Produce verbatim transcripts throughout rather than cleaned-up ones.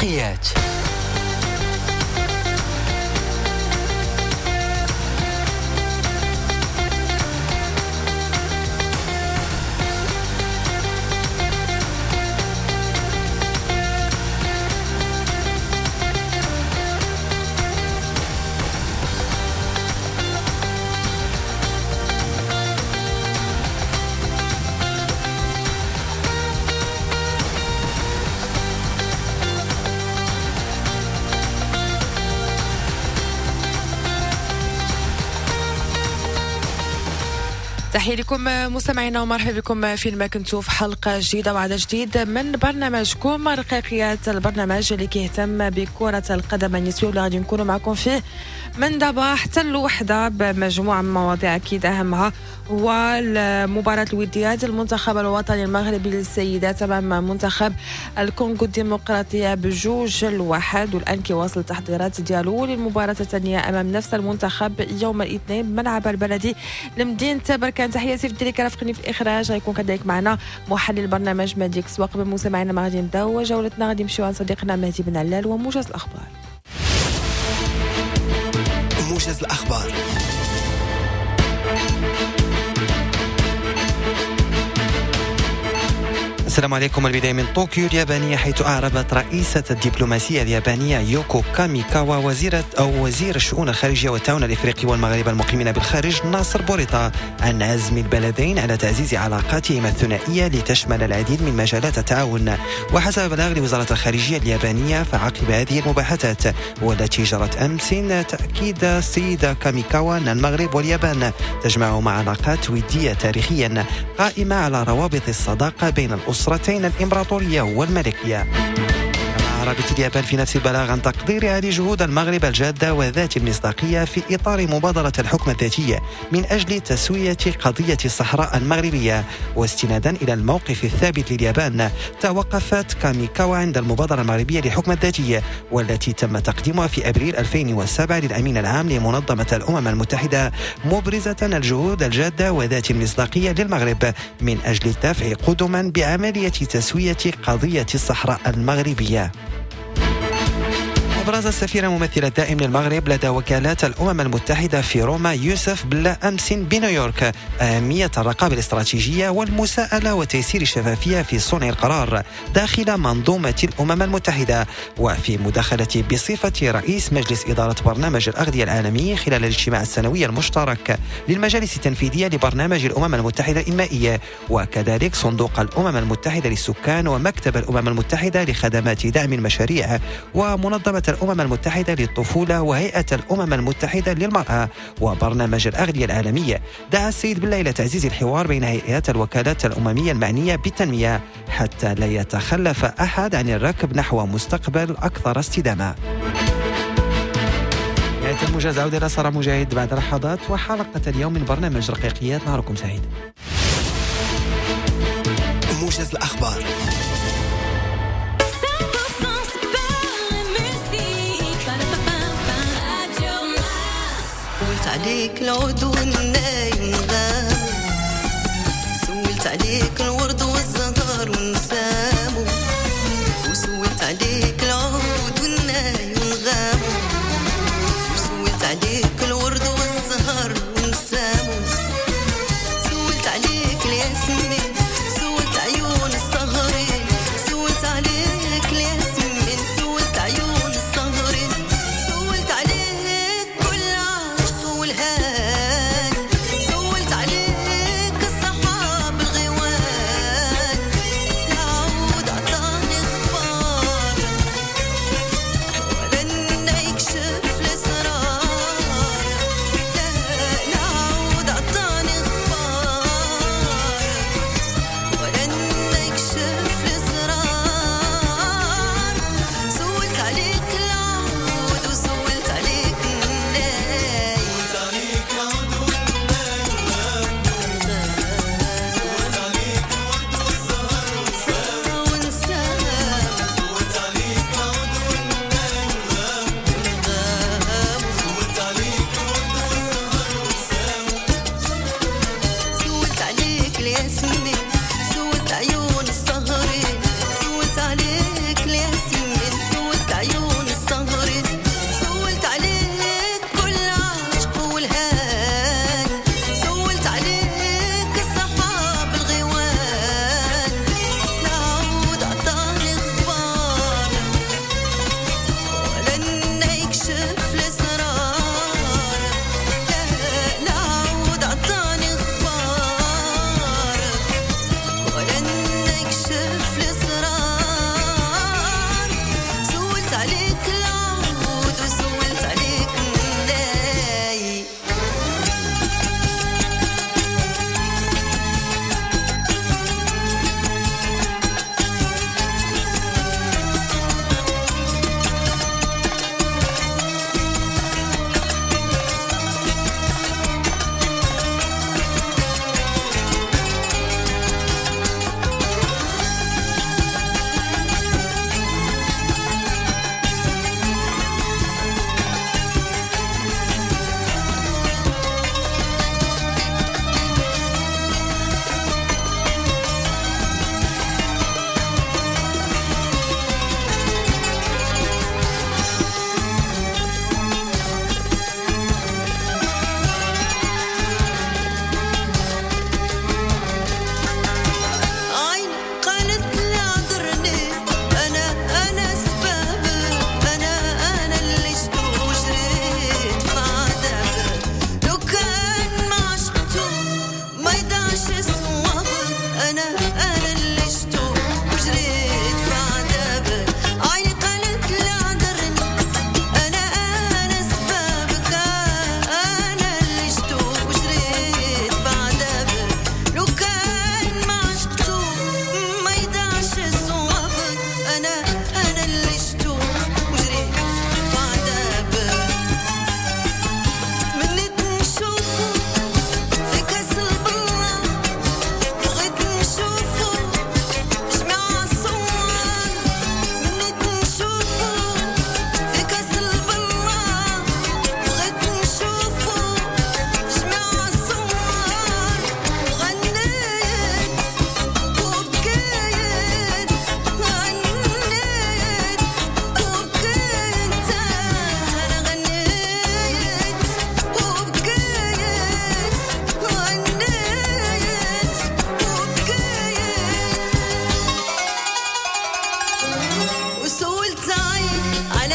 رقيقيات. تحية لكم مستمعينا ومرحبا بكم فين ما كنتوا في حلقة جديدة وعدد جديد من برنامجكم رقيقيات، البرنامج اللي كيهتم بكرة القدم النسوية واللي غادي نكونوا معكم فيه من دابا حتى الوحدة بمجموعة من المواضيع، أكيد أهمها هو المباراة الودية المنتخب الوطني المغربي للسيدات أمام منتخب الكونغو الديمقراطية بجوج الواحد، والآن كيواصل التحضيرات ديالو للمباراة الثانية أمام نفس المنتخب يوم الاثنين بملعب البلدي لمدينة بركان. تحية سيف الدري كرافقني في الإخراج، غيكون كذلك معنا محلل البرنامج مهدي كسوا. قبل مستمعينا ما غادي نبداو جولتنا غادي نمشيو عند صديقنا مهدي بن علال وموجز الأخبار. موجز الأخبار. السلام عليكم. البداية من طوكيو اليابانية، حيث أعربت رئيسة الدبلوماسية اليابانية يوكو كاميكاوا وزيرة أو وزير الشؤون الخارجية والتعاون الإفريقي والمغاربة المقيمين بالخارج ناصر بوريطة عن عزم البلدين على تعزيز علاقاتهما الثنائية لتشمل العديد من مجالات التعاون. وحسب بلاغ لوزارة الخارجية اليابانية، فعقب هذه المباحثات والتي جرت أمس تأكيد السيدة كاميكاوا أن المغرب واليابان تجمعهما علاقات ودية تاريخيا قائمة على روابط الصداقة بين الأسرتين الإمبراطورية والملكية. أعربت اليابان في نفس البلاغ عن تقديرها لجهود المغرب الجادة وذات المصداقية في إطار مبادرة الحكم الذاتي من أجل تسوية قضية الصحراء المغربية. واستنادا إلى الموقف الثابت لليابان، توقفت كاميكاوا عند المبادرة المغربية للحكم الذاتي والتي تم تقديمها في أبريل ألفين وسبعة للأمين العام لمنظمة الأمم المتحدة، مبرزة الجهود الجادة وذات المصداقية للمغرب من أجل الدفع قدما بعملية تسوية قضية الصحراء المغربية. أبرز السفير الممثل الدائم للمغرب لدى وكالات الأمم المتحدة في روما يوسف بلا أمس بنيويورك أهمية الرقابة الاستراتيجية والمساءلة وتيسير الشفافية في صنع القرار داخل منظومة الأمم المتحدة. وفي مداخلة بصفة رئيس مجلس إدارة برنامج الأغذية العالمي خلال الاجتماع السنوي المشترك للمجالس التنفيذية لبرنامج الأمم المتحدة الإنمائية وكذلك صندوق الأمم المتحدة للسكان ومكتب الأمم المتحدة لخدمات دعم المشاريع ومنظمة الأمم المتحدة للطفولة وهيئة الأمم المتحدة للمرأة وبرنامج الأغذية العالمية، دعا السيد بالله إلى تعزيز الحوار بين هيئات الوكالات الأممية المعنية بالتنمية حتى لا يتخلف أحد عن الركب نحو مستقبل أكثر استدامة. نهاية الموجز، عودة إلى سارة مجاهد بعد لحظات وحلقة اليوم من برنامج رقيقيات. نهاركم سعيد. موجز الأخبار. سولت عليك العود والناي ونغامو، سولت عليك الورد والزهر ونسامو، وسولت عليك العود والناي ونغامو، وسولت عليك الورد والزهر ونسامو، سولت عليك الياسمين، سولت عيون السهرين، سولت عليك الياسمين، سولت عيون السهرين، سولت عليك كل عشق والهان، سولت عليك الصحاب الغوان.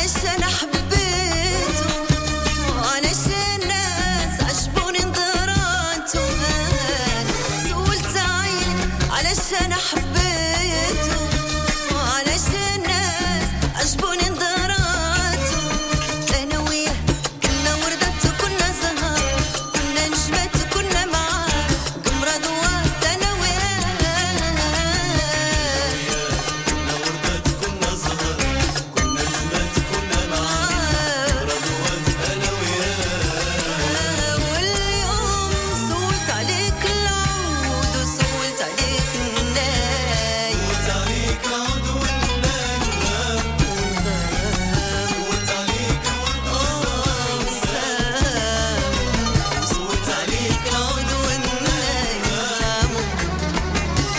علشان حبيته وعلشان الناس عجبوني نظراته. أنا سولت عيني علشان حبيته وعلشان الناس عجبوني نظراته. أنا وياه كنا وردات كنا زهر كنا نجمات كنا معاه قمرة ضوات. أنا وياه كنا وردات كنا زهر كنا نجمات كنا معاه قمرة ضوات. أنا وياه واليوم سولت عليك العود وسولت عليك الناي سولت عليك العود والناي سولت عليك الورد والسام سولت عليك العود والناي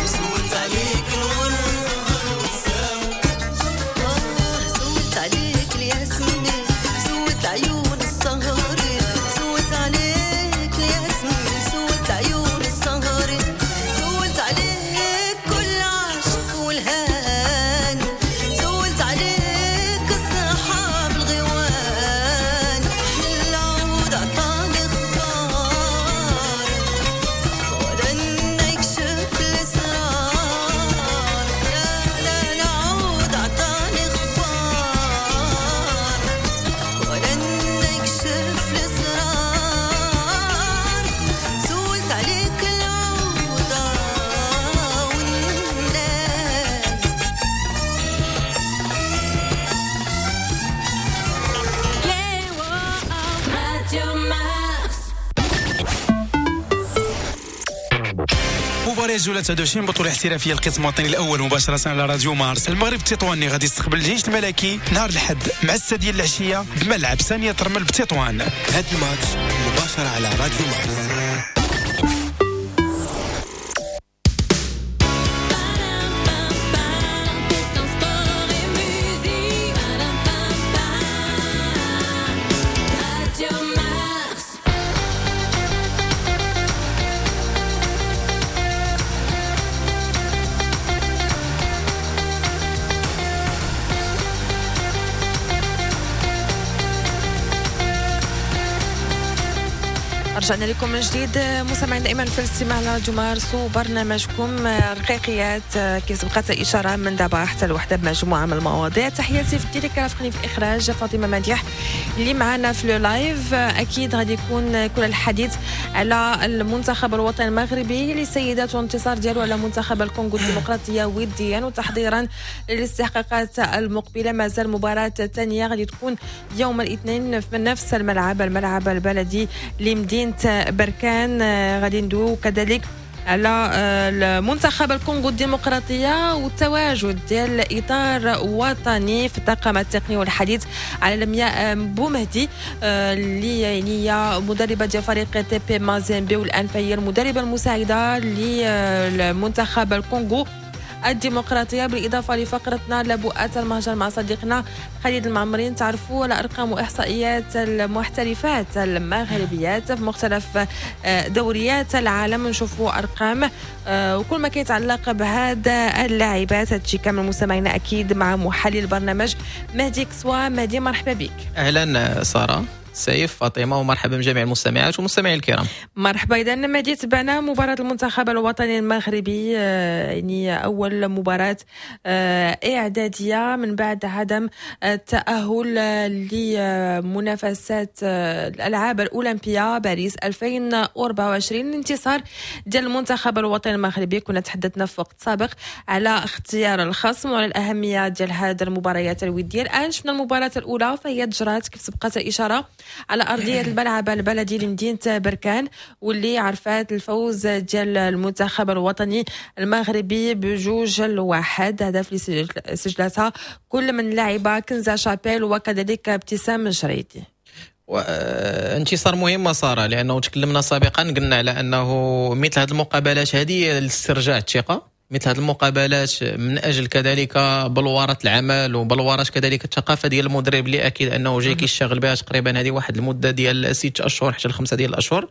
وسولت عليك الورد سولت عليك الياسمين سولت عيون السهر سولت عليك الياسمين سولت عيون السهر سولت عليك كل عشق والهان سولت عليك السحاب الغيوان. العود عطاني خبار ولن يكشف الاسرار. لا لا العود عطاني خبار ولن يكشف الاسرار. سولت عليك العود والناي. Radio Mars. مباراة جولة تسعة وعشرين بطولة احترافية القسم الوطني الأول مباشرة على راديو مارس. المغرب التطواني غادي يستقبل الجيش الملكي نهار الأحد مع الستة ديال العشية بملعب سانية رمل بتطوان. هاد الماتش مباشرة على راديو مارس. Sport et musique. Radio Mars. رجعنا لكم من جديد مستمعين دائما في الاستماع على راديو مارس وبرنامجكم رقيقيات، كيف سبقت الاشارة من دابا حتى الوحدة بمجموعه من المواضيع. تحياتي في التيليك رافقني في الاخراج فاطمة مديح اللي معنا في le live. اكيد غادي يكون كل الحديث على المنتخب الوطني المغربي للسيدات والانتصار ديالو على منتخب الكونغو الديمقراطية وديا وتحضيرا للاستحقاقات المقبلة. مازال مباراة ثانية غادي تكون يوم الاثنين في نفس الملعب، الملعب البلدي لمدينة بركان. غادي ندويو كذلك على المنتخب الكونغو الديمقراطية والتواجد ديال إطار وطني في الطاقم التقني، والحديث على لمياء بومهدي اللي يعني هي مدربة ديال فريق تي بي مازيمبي والآن فهي المدربة المساعدة للمنتخب الكونغو الديمقراطية. بالإضافة لفقرتنا لبؤات المهجر مع صديقنا خالد المعمرين، تعرفوا على أرقام وإحصائيات المحترفات المغربيات في مختلف دوريات العالم، نشوفوا أرقام وكل ما كيتعلق بهذا اللاعبات. هادشي كامل مستمعينا أكيد مع محلل البرنامج مهدي كسوا. مهدي مرحبا بك. أهلا سارة سيف فاطمة، ومرحبا بجميع المستمعات والمستمعين الكرام. مرحبا. إذا مهدي، تبعنا مباراة المنتخب الوطني المغربي، يعني أول مباراة إعدادية من بعد عدم التأهل لمنافسات الألعاب الأولمبية باريس ألفين وأربعة وعشرين. الانتصار ديال المنتخب الوطني المغربي، كنا تحدثنا في وقت سابق على اختيار الخصم وعلى الأهمية ديال هذه المباريات الودية. الآن شفنا المباراة الأولى فهي تجرات كيف سبقت الإشارة على أرضية الملعب البلدي لمدينة بركان، واللي عرفات الفوز ديال المنتخب الوطني المغربي بجوج لواحد، هدف اللي سجلتها كل من لاعبة كنزة شابيل وكذلك ابتسام جريدي. انتصار مهم سارة، لأنه تكلمنا سابقا قلنا على أنه مثل هذه المقابلات هذه لاسترجاع الثقة، مثل هذه المقابلات من اجل كذلك بلورة العمل وبلورة كذلك الثقافة ديال المدرب اللي اكيد انه جاي كيشتغل بها تقريبا هذه واحد المدة ديال ست اشهر حتى لخمسة ديال الاشهر.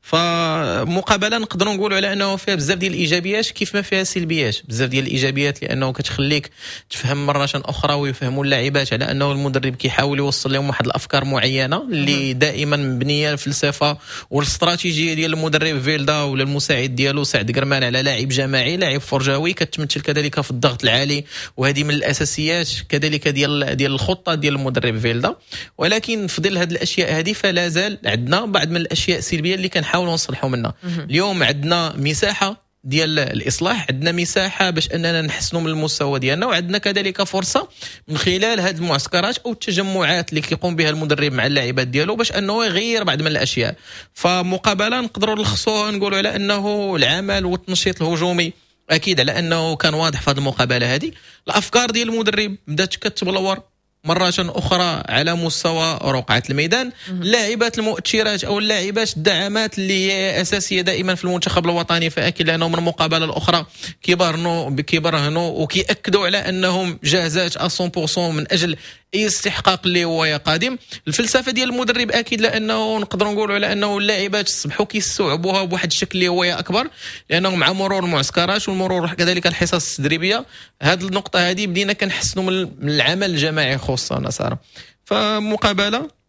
فمقابله نقدروا نقولوا على انه فيها بزاف ديال الايجابيات كيف ما فيها سلبيات، بزاف ديال الايجابيات لانه كتخليك تفهم مرة اخرى ويفهموا اللاعبات على انه المدرب كيحاول يوصل لهم واحد الافكار معينة اللي دائما مبنية الفلسفة والاستراتيجيه ديال المدرب فيلدا ولا المساعد ديالو سعد قرمان على لاعب جماعي، لاعب فرجاوي، كتمثل كذلك في الضغط العالي، وهذه من الاساسيات كذلك ديال ديال الخطة ديال المدرب فيلدا. ولكن في ظل هذه الاشياء هذه فلا زال عندنا بعض من الاشياء السلبية اللي كنحاولوا نصلحوا منها. اليوم عندنا مساحة ديال الاصلاح، عندنا مساحة باش اننا نحسنوا من المستوى ديالنا، وعندنا كذلك فرصة من خلال هذه المعسكرات او التجمعات اللي كيقوم بها المدرب مع اللاعبات ديالو باش انه يغير بعض من الاشياء. فمقابله نقدروا نلخصوها نقولوا على انه العمل والتنشيط الهجومي اكيد على انه كان واضح في هذه المقابلة هذه. الافكار ديال المدرب بدات كتبلور مرة أخرى على مستوى رقعة الميدان. اللاعبات المؤثرات أو اللاعبات الدعامات اللي هي أساسية دائما في المنتخب الوطني، فأكيد لأنه من المقابلة الأخرى كيبرهنوا كيبرهنوا وكيأكدوا على أنهم جاهزات مية بالمية من أجل اي استحقاق اللي هو قادم. الفلسفة ديال المدرب اكيد لانه نقدروا نقولوا على انه اللاعبات صبحوا كيستوعبوها بواحد الشكل اللي هو اكبر، لانه مع مرور المعسكرات والمرور كذلك الحصص التدريبية هذه النقطة هذه بدينا كنحسنوا من العمل الجماعي خصوصا ساره. فمقابله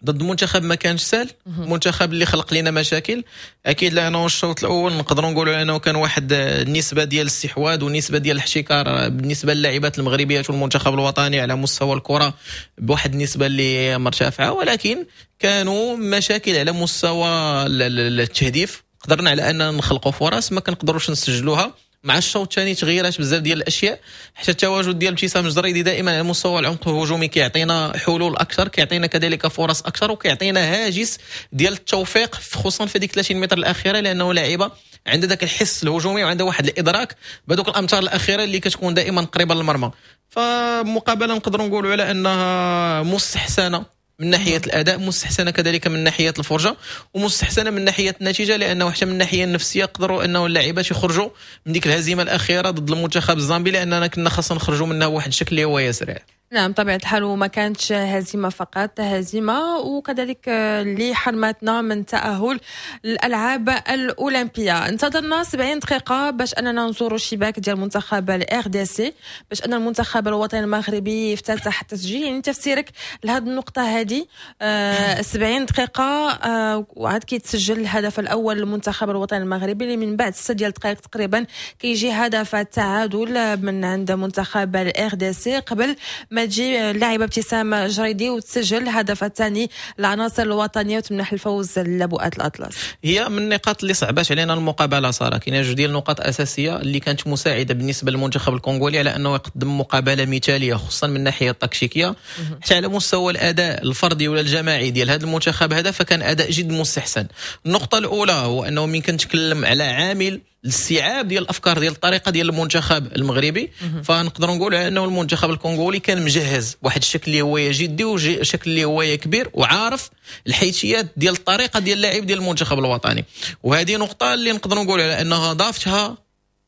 ضد منتخب ما كانش سهل، منتخب اللي خلق لنا مشاكل اكيد، لانه الشوط الاول نقدروا نقولوا انه كان واحد النسبة ديال الاستحواذ ونسبه ديال الاحتكار بالنسبة للاعبات المغربيات والمنتخب الوطني على مستوى الكره بواحد النسبة اللي مرتفعه، ولكن كانوا مشاكل على مستوى التهديف. قدرنا على ان نخلقوا فرص ما كنقدروش نسجلوها. مع الشوط الثاني تغيرات بزاف ديال الاشياء، حتى التواجد ديال ابتسام الجريدي دائما على مستوى العمق الهجومي كيعطينا حلول اكثر، كيعطينا كذلك فرص اكثر، وكيعطينا هاجس ديال التوفيق خصوصا في ديك ثلاثين متر الاخيره، لانه لاعبه عندها ذاك الحس الهجومي وعندها واحد الادراك بهذوك الامتار الاخيرة اللي كتكون دائما قريبه للمرمى. فمقابله نقدروا نقولوا على انها مستحسنه من ناحية الاداء، مستحسنه كذلك من ناحية الفرجه، ومستحسنه من ناحية النتيجه، لانه حتى من الناحية النفسية قدروا انه اللاعبات يخرجوا من ديك الهزيمة الاخيرة ضد المنتخب الزامبي، لاننا كنا خاصنا نخرجوا منها بواحد الشكل اللي هو سريع. نعم، طبيعة الحال، وما كانتش هزيمة فقط، هزيمة وكذلك اللي حرمتنا من تأهل الألعاب الأولمبية. انتظرنا سبعين دقيقة باش أننا نزوروا الشباك ديال المنتخب ال RDC، باش أن المنتخب الوطني المغربي يفتتح التسجيل. يعني تفسيرك لهذه النقطة هذه، آه سبعين دقيقة آه وعاد كيتسجل الهدف الأول للمنتخب الوطني المغربي، اللي من بعد ستة ديال الدقائق تقريبا كيجي هدف التعادل من عند منتخب ال RDC، قبل ما تجي اللاعبه ابتسام جريدي وتسجل الهدف الثاني للعناصر الوطنية وتمنح الفوز لبؤات الاطلس. هي من النقاط اللي صعبات علينا المقابلة ساره. كاين جوج ديال النقاط اساسية اللي كانت مساعدة بالنسبة للمنتخب الكونغولي على انه يقدم مقابله مثاليه، خصوصا من الناحية التكتيكيه، حتى على مستوى الاداء الفردي ولا الجماعي ديال هذا المنتخب هذا فكان اداء جد مستحسن. النقطة الاولى هو انه من كنتكلم على عامل الاستيعاب ديال الافكار ديال الطريقة ديال المنتخب المغربي، فنقدروا نقولوا على انه المنتخب الكونغولي كان مجهز بواحد الشكل اللي هو جدي وشكل اللي هو كبير، وعارف الحيثيات ديال الطريقة ديال اللاعب ديال المنتخب الوطني. وهذه نقطة اللي نقدروا نقولوا على انها ضافتها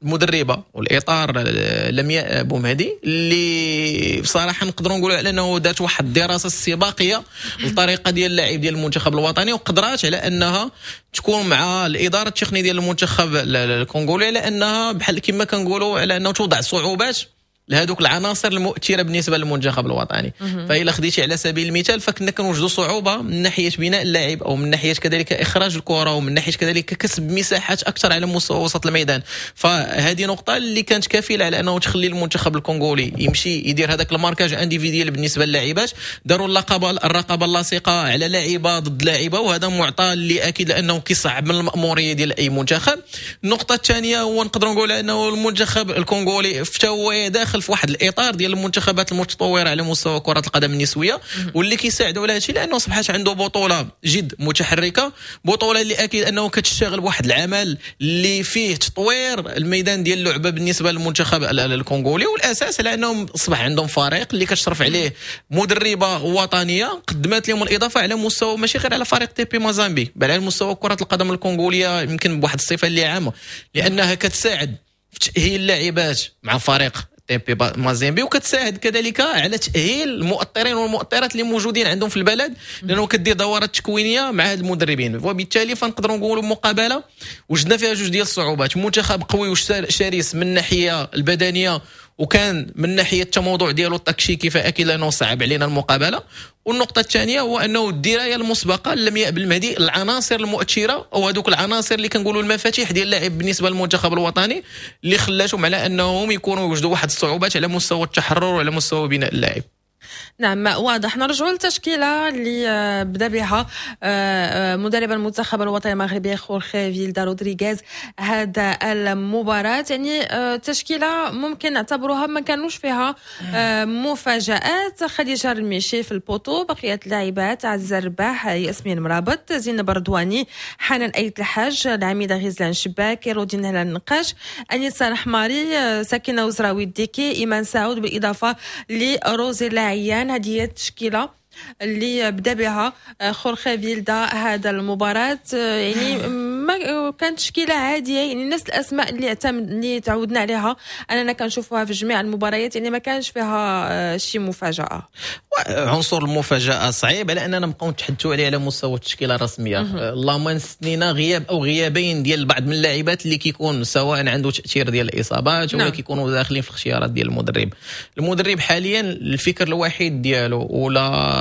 المدربه والاطار لمياء بومهدي، اللي بصراحة نقدروا نقولوا على انه دارت واحد الدراسة استباقية للطريقة ديال اللاعب ديال المنتخب الوطني، وقدرات على انها تكون مع الادارة التقنية ديال المنتخب الكونغولي على انها بحال كما كنقولوا على انه توضع صعوبات لهذوك العناصر المؤثرة بالنسبة للمنتخب الوطني. فإلا خديتي على سبيل المثال، فكنا كنوجدوا صعوبة من ناحية بناء اللعب او من ناحية كذلك اخراج الكره ومن ناحية كذلك كسب مساحات اكثر على مستوى وسط الميدان. فهذه نقطة اللي كانت كفيله على انه تخلي المنتخب الكونغولي يمشي يدير هذاك ال marquage individuel بالنسبة للاعبات. داروا اللقب الرقابة اللاصقه على لاعبه ضد لاعبه، وهذا معطى اللي اكيد لانه كيصعب من الماموريه ديال اي منتخب. النقطة الثانية هو نقدروا نقول انه المنتخب الكونغولي هو داخل في واحد الاطار ديال المنتخبات المتطورة على مستوى كره القدم النسويه، واللي كيساعدوا على هادشي لانه اصبحت عنده بطوله جد متحركه، بطوله اللي اكيد انه كتشتغل بواحد العمل اللي فيه تطوير الميدان ديال اللعبة بالنسبة للمنتخب الكونغولي. والاساس على انهم اصبح عندهم فريق اللي كتشرف عليه مدربه وطنية قدمت لهم الاضافة على مستوى ماشي غير على فريق تي بي مازامبي، بل على مستوى كره القدم الكونغوليه يمكن بواحد الصفة اللي عامه، لانها كتساعد في تاهيل اللاعبات مع فريق تي بي مازيمبي، وكتساعد كذلك على تاهيل المؤطرين والمؤطرات اللي موجودين عندهم في البلد، لانه كدير دورات تكوينيه مع هاد المدربين. وبالتالي فنقدروا نقولوا مقابله وجدنا فيها جوج ديال الصعوبات، منتخب قوي وشرس من الناحية البدنية، وكان من ناحية التموضع ديالو التكتيكي فاكيد انه صعب علينا المقابلة. والنقطة الثانية هو انه الدراية المسبقة لمياء بالمهدي العناصر المؤثرة او هذوك العناصر اللي كنقولوا المفاتيح ديال اللاعب بالنسبة للمنتخب الوطني، اللي خلاتهم على انهم يكونوا يوجدوا واحد الصعوبات على مستوى التحرر وعلى مستوى بناء اللاعب. نعم واضح. نرجعوا للتشكيله اللي آه، بدا بها آه، آه، مدرب المنتخب الوطني المغربي خورخي فيلدا رودريغيز هذا المباراة. يعني تشكيله ممكن نعتبروها ما كانوش فيها مفاجآت. خديجة الميشي في ال poteau، بقية اللاعبات عزيزه الرباح، ياسمين مرابط، زينب رضواني، حنان ايت الحاج، العميده غزلان شباك، رودين هلال النقاش، انيسة الحماري، سكينة وزراوي الديكي، ايمان سعود، بالاضافة لروزي العيان. هذه هي التشكيلة اللي بدا بها خورخي فيلدا هذا المباراة. يعني ما كانت تشكيله عادية، يعني نفس الاسماء اللي اعتمد اللي تعودنا عليها اننا كنشوفوها في جميع المباريات، يعني ما كانش فيها شي مفاجاة. عنصر المفاجاة صعيب على اننا نبقاو نتحدثوا عليه على مستوى التشكيلة الرسمية. اللهم نستثنينا غياب او غيابين ديال بعض من اللاعبات اللي كيكون سواء عنده تاثير ديال الاصابات ولا نعم. كيكونوا داخلين في الاختيارات ديال المدرب. المدرب حاليا الفكر الوحيد ديالو ولا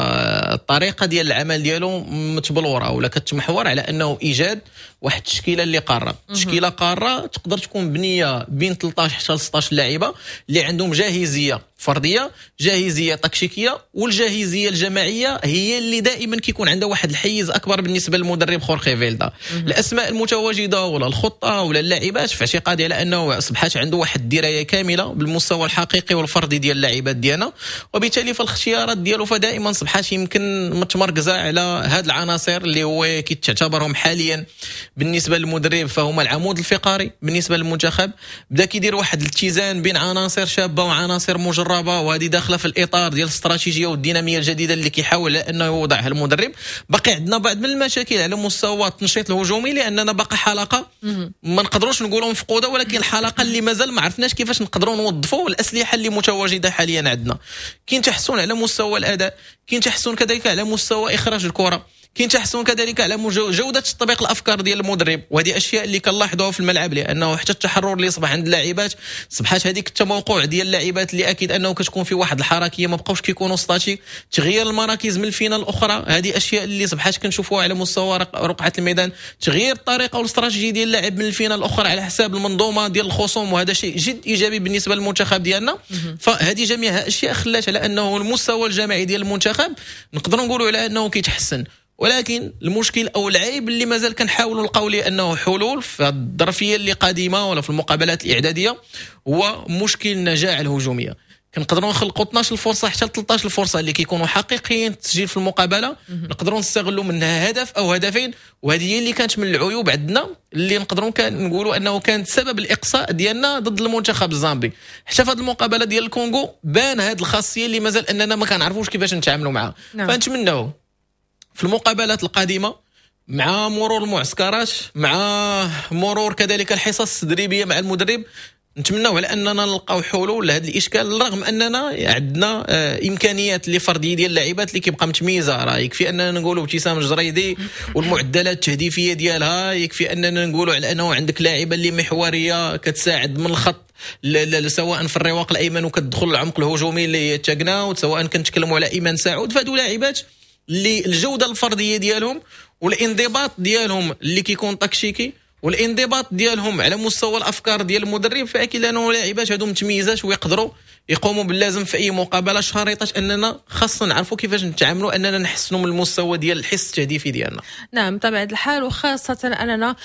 الطريقة ديال العمل ديالو متبلوره ولا كتمحور على انه ايجاد واحد التشكيلة اللي قارة، تشكيله قارة تقدر تكون بنيه بين ثلاثة عشر حتى ستة عشر لاعبه اللي عندهم جاهزية فرديه، جاهزية تكتيكية، والجاهزيه الجماعية هي اللي دائما كيكون عندها واحد الحيز اكبر بالنسبة للمدرب خورخي فيلدا. الاسماء المتواجدة ولا الخطة ولا اللاعبات في اعتقادي على انه اصبحت عنده واحد الدراية كاملة بالمستوى الحقيقي والفردي ديال اللاعبات ديالنا، وبالتالي فالاختيارات ديالو فدائما صبحات يمكن متمركزه على هاد العناصر اللي هو كيتعتبرهم حاليا بالنسبة للمدرب فهما العمود الفقري بالنسبة للمنتخب. بدا كيدير واحد الاتزان بين عناصر شابه وعناصر مجربه، وهذه داخله في الاطار ديال الاستراتيجية والديناميه الجديدة اللي كيحاول انه يوضعها المدرب. باقي عندنا بعض من المشاكل على مستوى التنشيط الهجومي، لاننا باقي حلقة ما نقدروش نقولوا مفقوده، ولكن الحلقة اللي مازال ما عرفناش كيفاش نقدروا نوظفوا الاسلحة اللي متواجدة حاليا عندنا. كاين تحسن على مستوى الاداء، كاين تحسن كذلك على مستوى اخراج الكره، كاين تحسن كذلك على جوده تطبيق الافكار ديال المدرب، وهذه اشياء اللي كنلاحظوها في الملعب، لانه حتى التحرر اللي صبح عند اللاعبات صبحات هذيك التموقع ديال اللاعبات اللي اكيد انه كتكون في واحد الحركية، ما بقاوش كيكونوا statiques، تغيير المراكز من الفينة الاخرى، هذه اشياء اللي صبحات كنشوفوها على مستوى رقعه الميدان، تغيير الطريقة والاستراتيجيه ديال اللاعب من الفينة الاخرى على حساب المنظومة ديال الخصوم، وهذا شيء جد ايجابي بالنسبة للمنتخب ديالنا. فهذه جميعها اشياء خلات على انه المستوى الجماعي ديال المنتخب نقدروا نقولوا على انه كيتحسن، ولكن المشكل او العيب اللي مازال كنحاولوا نلقاو ليه انه حلول في الظرفية اللي قادمة ولا في المقابلات الاعدادية هو مشكل النجاعه الهجومية. كنقدروا نخلقوا اثنا عشر فرصة حتى ثلاثة عشر فرصة اللي كيكونوا حقيقيين التسجيل في المقابله، نقدروا نستغلوا منها هدف او هدفين، وهذه هي اللي كانت من العيوب عندنا اللي نقدروا نقولوا انه كانت سبب الاقصاء ديالنا ضد المنتخب الزامبي. حتى في هذه المقابلة ديال الكونغو بان هذه الخاصية اللي مازال اننا ما كنعرفوش كيفاش نتعاملوا معها. نعم. فنتمناو في المقابلات القادمة مع مرور المعسكرات، مع مرور كذلك الحصص التدريبية مع المدرب، نتمناو على اننا نلقاو حلول لهذا الاشكال، رغم اننا عندنا آه، امكانيات اللي فردية ديال اللاعبات اللي كيبقى متميزة. راه يكفي اننا نقولوا ابتسام الجريدي والمعدلات التهديفيه ديالها، يكفي اننا نقولوا على انه عندك لاعبه اللي محورية كتساعد من الخط سواء في الرواق الايمن وكتدخل العمق الهجومي اللي تاكناوت، سواء كنتكلموا على ايمان سعود، فهادو لاعبات اللي الجودة الفردية ديالهم والانضباط ديالهم اللي كيكون تكتيكي والانضباط ديالهم على مستوى الافكار ديال المدرب، فاكيد انه لاعبات هادو متميزات ويقدروا يقوموا باللازم في اي مقابله، شريطه اننا خاصنا نعرفوا كيفاش نتعاملوا اننا نحسنوا من المستوى ديال الحس التهديفي ديالنا. نعم، بطبيعة الحال، وخاصة اننا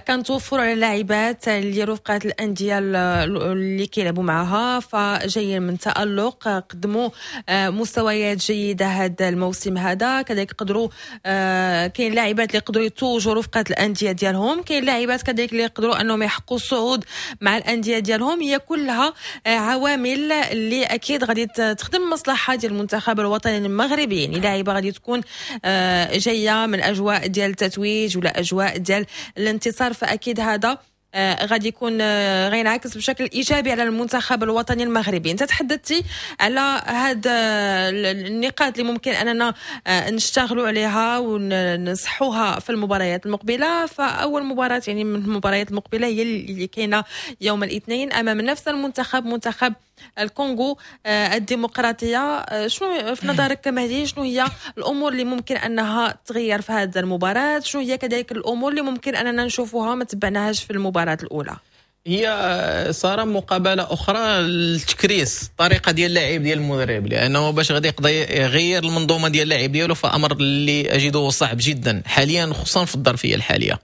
كنتوفروا على اللاعبات اللي رفقات الاندية اللي كيلعبوا معها، فجايين من تالق، قدموا آه، مستويات جيدة هذا الموسم هذا. كذلك قدروا آه، كاين لاعبات اللي يقدروا يتوجوا رفقات الاندية ديالهم، كاين لاعبات كذلك اللي يقدروا انهم يحققوا الصعود مع الاندية ديالهم. هي كلها آه، عوامل اللي اكيد غادي تخدم المصلحة ديال المنتخب الوطني المغربي، يعني لاعبه غادي تكون آه، جاية من اجواء ديال التتويج ولا اجواء ديال الانتصار، فاكيد هذا غادي يكون غينعكس بشكل ايجابي على المنتخب الوطني المغربي. انت تحدثتي على هاد النقاط اللي ممكن اننا نشتغلوا عليها ونصحوها في المباريات المقبلة. فاول مباراة يعني من المباريات المقبلة هي اللي كاينه يوم الاثنين امام نفس المنتخب، منتخب الكونغو الديمقراطية. شنو في نظرك مهدي، شنو هي الامور اللي ممكن انها تغير في هذه المباراة؟ شنو هي كذلك الامور اللي ممكن اننا نشوفوها ما تبعناهاش في المباراة الاولى؟ هي ساره مقابله اخرى للتكريس الطريقة ديال اللاعب ديال المدرب، لانه باش غادي يقدر يغير المنظومة ديال اللاعب ديالو فامر اللي اجده صعب جدا حاليا، خصوصا في الظرفية الحالية.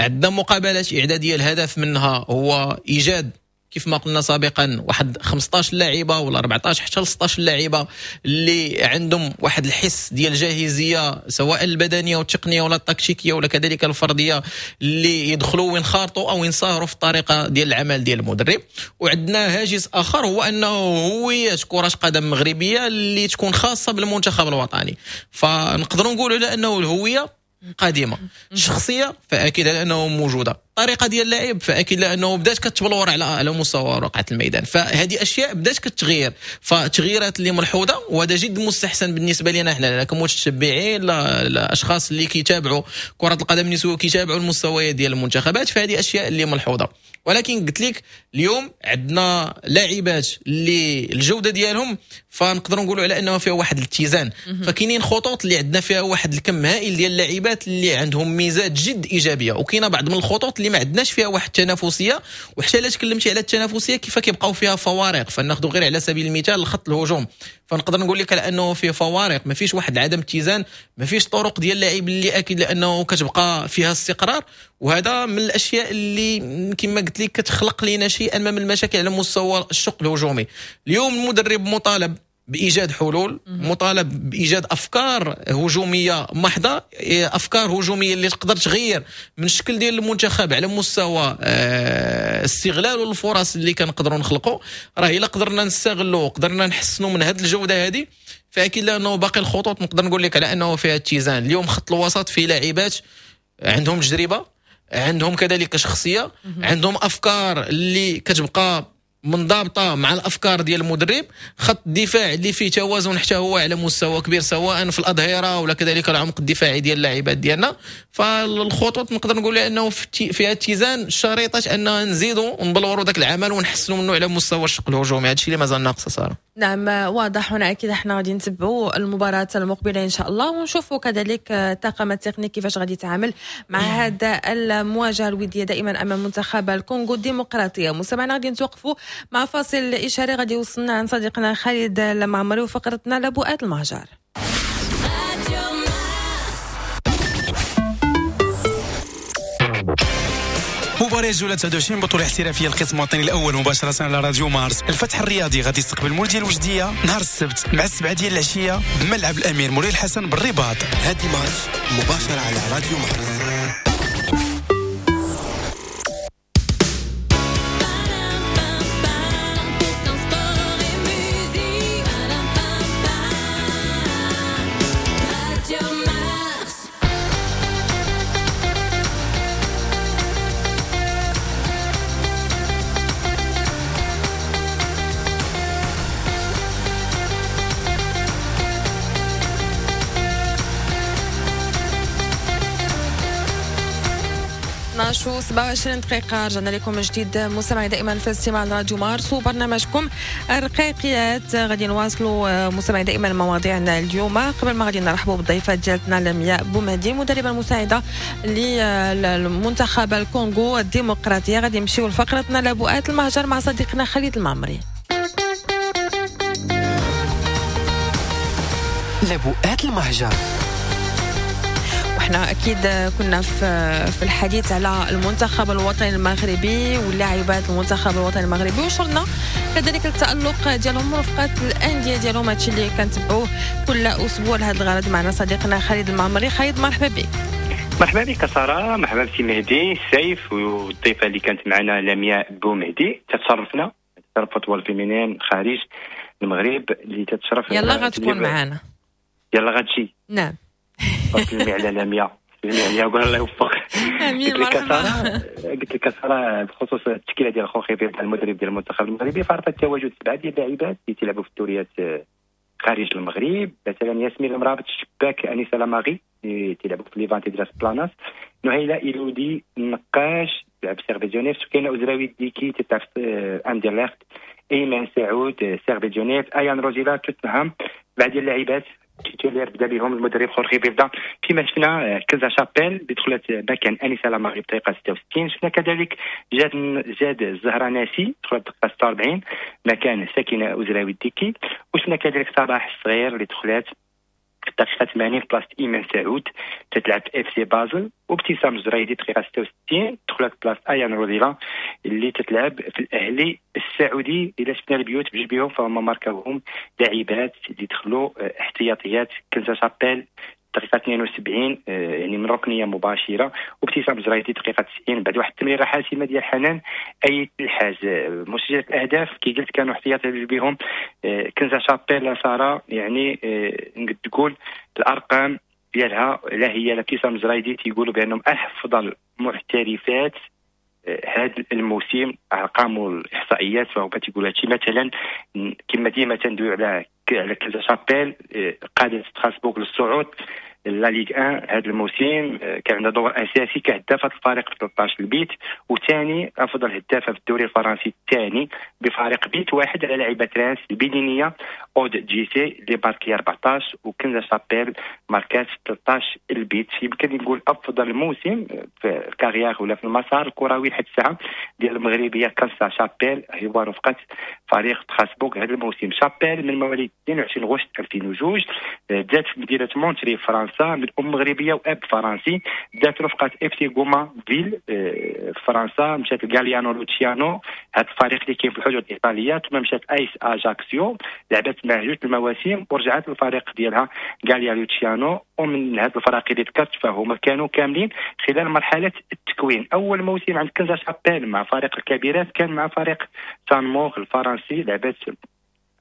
عندنا مقابلات اعدادية، الهدف منها هو ايجاد كيف ما قلنا سابقا واحد خمسطاش لاعبه ولا أربعطاش حتى ل ستطاش لاعبه اللي عندهم واحد الحس ديال الجاهزيه سواء البدنية والتقنية ولا التكتيكيه ولا كذلك الفردية، اللي يدخلوا وينخرطوا او ينصهروا في الطريقة ديال العمل ديال المدرب. وعندنا هاجس اخر هو انه هوية كره قدم مغربية اللي تكون خاصة بالمنتخب الوطني، فنقدروا نقولوا على انه الهوية قديمة، الشخصية فاكيد على انه موجودة، الطريقة ديال اللعب فاكيد لانه بدات كتبلور على على مستوى رقعه الميدان، فهذه اشياء بدات كتغير، فتغييرات اللي ملحوظة، وهذا جد مستحسن بالنسبة لنا حنا كمتتبعين الاشخاص اللي كيتابعوا كره القدم النسوية وكيتابعوا المستويات ديال المنتخبات، فهذه اشياء اللي ملحوظة. ولكن قلت لك اليوم عندنا لاعبات اللي الجودة ديالهم فنقدروا نقولوا على انه فيها واحد الاتزان، فكاينين خطوط اللي عندنا فيها واحد الكم هائل ديال اللاعبات اللي عندهم ميزات جد ايجابية، وكاينه بعض من الخطوط اللي ما عندناش فيها واحد التنافسية. وحتى الا تكلمتي على التنافسية كيف كيبقاو فيها فوارق، فناخذ غير على سبيل المثال الخط الهجوم، فنقدر نقول لك على انه فيه فوارق، ما فيش واحد عدم اتزان، ما فيش طرق ديال اللاعب اللي اكيد لانه كتبقى فيها استقرار، وهذا من الاشياء اللي كما قلت لك كتخلق لنا شيئا ما من المشاكل على مستوى الشق الهجومي. اليوم المدرب مطالب بايجاد حلول، مطالب بايجاد افكار هجومية محضة، افكار هجومية اللي تقدر تغير من الشكل ديال المنتخب على مستوى استغلال الفرص اللي كنقدروا نخلقوا. راه الا قدرنا نستغلوا وقدرنا نحسنوا من هذه الجودة هذه فاكيد لانه باقي الخطوط نقدر نقول لك على انه فيها اتزان. اليوم خط الوسط فيه لاعبات عندهم تجربه، عندهم كذلك شخصية، عندهم افكار اللي كتبقى منضبطة مع الافكار ديال المدرب. خط الدفاع اللي فيه توازن حتى هو على مستوى كبير سواء في الاظهرة ولا كذلك العمق الدفاعي ديال اللاعبات ديالنا. فالخطوط نقدر نقول انه فيها اتزان، شريطه ان نزيدوا ونبلوروا ذاك العمل ونحسنوا منه على مستوى الشق الهجومي. هادشي اللي مازال ناقص ساره. نعم واضح، هنا اكيد احنا غادي نتبعوا المباراة المقبلة ان شاء الله، ونشوفوا كذلك الطاقم التقني كيفاش غادي يتعامل مع هذا المواجهة الودية دائما امام منتخب الكونغو الديمقراطية. مستمعينا غادي نتوقفوا مع فاصل إشاري غادي يوصلنا عن صديقنا خالد المعمري وفقرتنا لبؤات المهجر. مباراة جولة تسعة وعشرين بطولة احترافية القسم الوطني الأول مباشرة على راديو مارس. الفتح الرياضي غادي يستقبل مولودية الوجدية نهار السبت مع السبعة ديال العشية بملعب الأمير مولاي الحسن بالرباط. هادي ماتش مباشرة على راديو مارس. اثنا عشر وسبعة وعشرين دقيقة رجعنا لكم من جديد مستمعي دائما في استماع راديو مارس وبرنامجكم الرقيقيات. غادي نواصلوا مستمعي دائما مواضيعنا اليوم. قبل ما غادي نرحبوا بالضيفة ديالتنا لمياء بومهدي المدربة المساعدة للمنتخب الكونغو الديمقراطية، غادي نمشيو لفقرتنا لبؤات المهجر مع صديقنا خالد المعمري. لبؤات المهجر. احنا اكيد كنا في في الحديث على المنتخب الوطني المغربي واللاعبات المنتخب الوطني المغربي، وشرنا كذلك التألق ديالهم ورفقات الاندية ديالهم، هادشي اللي كنتبعوه كل اسبوع لهذا الغرض. معنا صديقنا خالد المعمري. خالد مرحبا بك. مرحبا بك ساره، مرحبا بسي مهدي سيف والضيفه اللي كانت معنا لمياء بومهدي. تتشرفنا تتشرف football féminin خارج المغرب اللي تتشرف. يلا غتكون معنا، يلا غتجي. نعم سلمي على لمياء، سلمي عليها وقول الله يوفق. امين. قلت لك مرحبا. ساره، قلت لك ساره، بخصوص التشكيلة ديال خورخي فيلدا المدرب ديال المنتخب المغربي، فعرفت التواجد سبعة ديال اللاعبات اللي تيلعبوا في الدوريات آه، خارج المغرب. مثلا ياسمين المرابط الشباك، انيسة لاماغي اللي تيلعبوا في ليفانتي دراس بلاناس، نهيله ايلودي النقاش تلعب سيرفيت جنيف، سكينة ازراوي ديكي تلعب في آه، اندرلخت، ايمان سعود آه، سيرفيت جنيف، ايان روزيلا توتنهام. بعد اللاعبات titulaires بدا بهم المدرب خورخي فيلدا. كما شفنا آه، كنزا شابيل اللي دخلت مكان انيسة لاماغي بدقيقة ستة وستين. شفنا كذلك جاد جاد الزهرة ناسي دخلت دقيقة ستة وأربعين مكان سكينة ازراوي الديكي. وشفنا كذلك صباح الصغير اللي دخلت في الدقيقة ثمانين بلاصة ايمان سعود تتلعب في اف سي بازل، وابتسام الجريدي دقيقة ستة وستين دخلت بلاصة ايان روزيلا اللي تتلعب في الاهلي السعودي. اذا شفنا البيوت بجوج بيهم فهم ماركاوهم لاعبات اللي دخلوا اه، احتياطيات، كنزا شابيل دقيقة اثنين وسبعين آه، يعني من ركنية مباشرة، وابتسام الجريدي دقيقة تسعين بعد واحد التمريرة حاسمة ديال حنان أيت الحاج. آه، مسجلة الأهداف كي قلت كانوا احتياطي بهم آه، كنزا شابيل سارة، يعني نقد تقول الأرقام ديالها لا هي لا ابتسام الجريدي تيقولوا بأنهم أفضل محترفات هذا الموسم، ارقام والاحصائيات فهو تيقول هادشي. مثلا كما ديما تندوي على على كنزا شابيل، قادت ستراسبورغ للصعود la Ligue واحد هذا الموسم، كان عندها دور اساسي كهدافه الفريق في ثلاثة عشر البيت، وثاني افضل هدافه في الدوري الفرنسي الثاني بفارق بيت واحد على لاعبه رانس البنينيه اود جيسي اللي ماركي أربعة عشر، وكنزا شابيل ماركات ثلاثة عشر البيت. يمكن نقول افضل موسم في ال carrière ولا في المسار الكروي لحد الساعة ديال المغربية كنزا شابيل هو رفقه فريق ستراسبورغ هذا الموسم. شابيل من مواليد اثنين وعشرين غشت ألفين وجوج، بدات في مدينة مونتري فرنسا من ام مغربية واب فرنسي. بدات رفقه اف سي غوما فيل آه، في فرنسا، مشات لغاليانو لوتشيانو هذا الفريق اللي كاين في الحدود الايطاليه، ثم مشات ايس اجاكسيو لعبت مع جوج المواسم ورجعت للفريق ديالها غاليا لوتشيانو. ومن هاد الفرق اللي ذكرت فهما كانوا كاملين خلال مرحلة التكوين. اول موسم عند كنزا شابيل مع فريق الكبيرات كان مع فريق سان مور الفرنسي، لعبت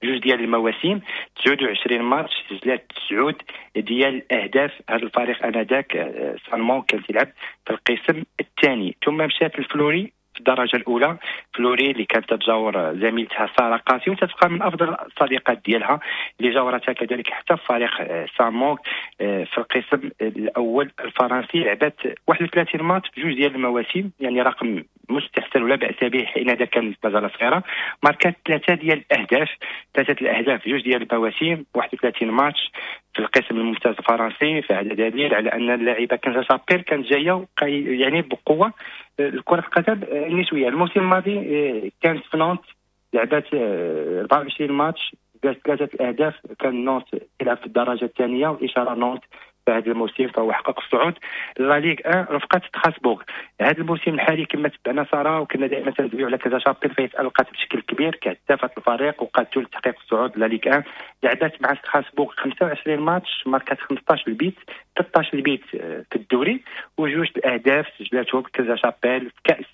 جوج ديال المواسم، تسعة وعشرين ماتش، سجلات تسعة ديال الاهداف. هذا الفريق انذاك آه، سان كان تيلعب في القسم الثاني. ثم مشات الفلوري في الدرجة الاولى، فلوري اللي كانت تتجاور زميلتها ساره قاسي وتتبقى من افضل الصديقات ديالها اللي جاورتها كذلك حتى في فريق آه، سامونغ آه، في القسم الاول الفرنسي. لعبت واحد وثلاثين ماتش في جوج ديال المواسم، يعني رقم مستحسن ولا باس به حين ذاك كانت مازال صغيره. ماركات ثلاثة ديال الاهداف، ثلاثة الاهداف في جوج ديال المواسم، واحد وثلاثين ماتش في القسم الممتاز الفرنسي. فهذا دليل على ان اللاعبه كنزا شابيل كانت جاية يعني بقوة الكره القدم النسوية. الموسم الماضي آه، كانت في نونت، لعبت أربعة وعشرين ماتش، دارت ثلاثة الاهداف. كان نونت تلعب في الدرجة الثانيه، واشاره نونت في هذا الموسم فهو حقق الصعود la Ligue واحد رفقه ستراسبورغ. هذا الموسم الحالي كما تبعنا ساره وكنا دائما تندويو على كنزا شابيل فهي تالقت بشكل كبير كهدافه الفريق وقادته لتحقيق الصعود la Ligue واحد. لعبت مع ستراسبورغ خمسة وعشرين ماتش، ماركات خمسة عشر البيت، ثلاثة عشر البيت آه، في الدوري وجوج الاهداف سجلاتهم كنزا شابيل في كاس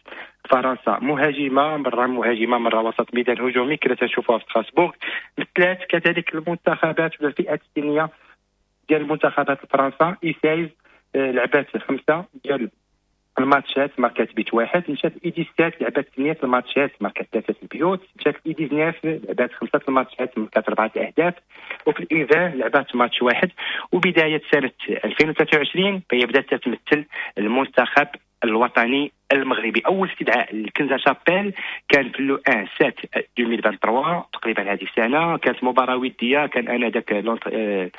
فرنسا. مهاجمه، مرة مهاجمه مرة وسط ميدان هجومي كنا تنشوفوها في ستراسبورغ. مثلات كذلك المنتخبات ولا الفئات السنية ديال المنتخبات فرنسا U seize، آه، لعبات خمسة ديال الماتشات، ماركات بيت واحد. مشات U dix-sept لعبات ثمانية الماتشات، ماركات ثلاثة البيوت. مشات U dix-neuf لعبات خمسة الماتشات، ماركات اربعة الاهداف. وفي ال U vingt لعبات ماتش واحد. وبداية سنة ألفين وثلاثة وعشرين فهي بدات تتمثل المنتخب الوطني المغربي. اول استدعاء لكنزا شابيل كان في le واحد سبعة ألفين وثلاثة وعشرين، تقريبا هذه السنه. كانت مباراة وديه، كان انذاك آه،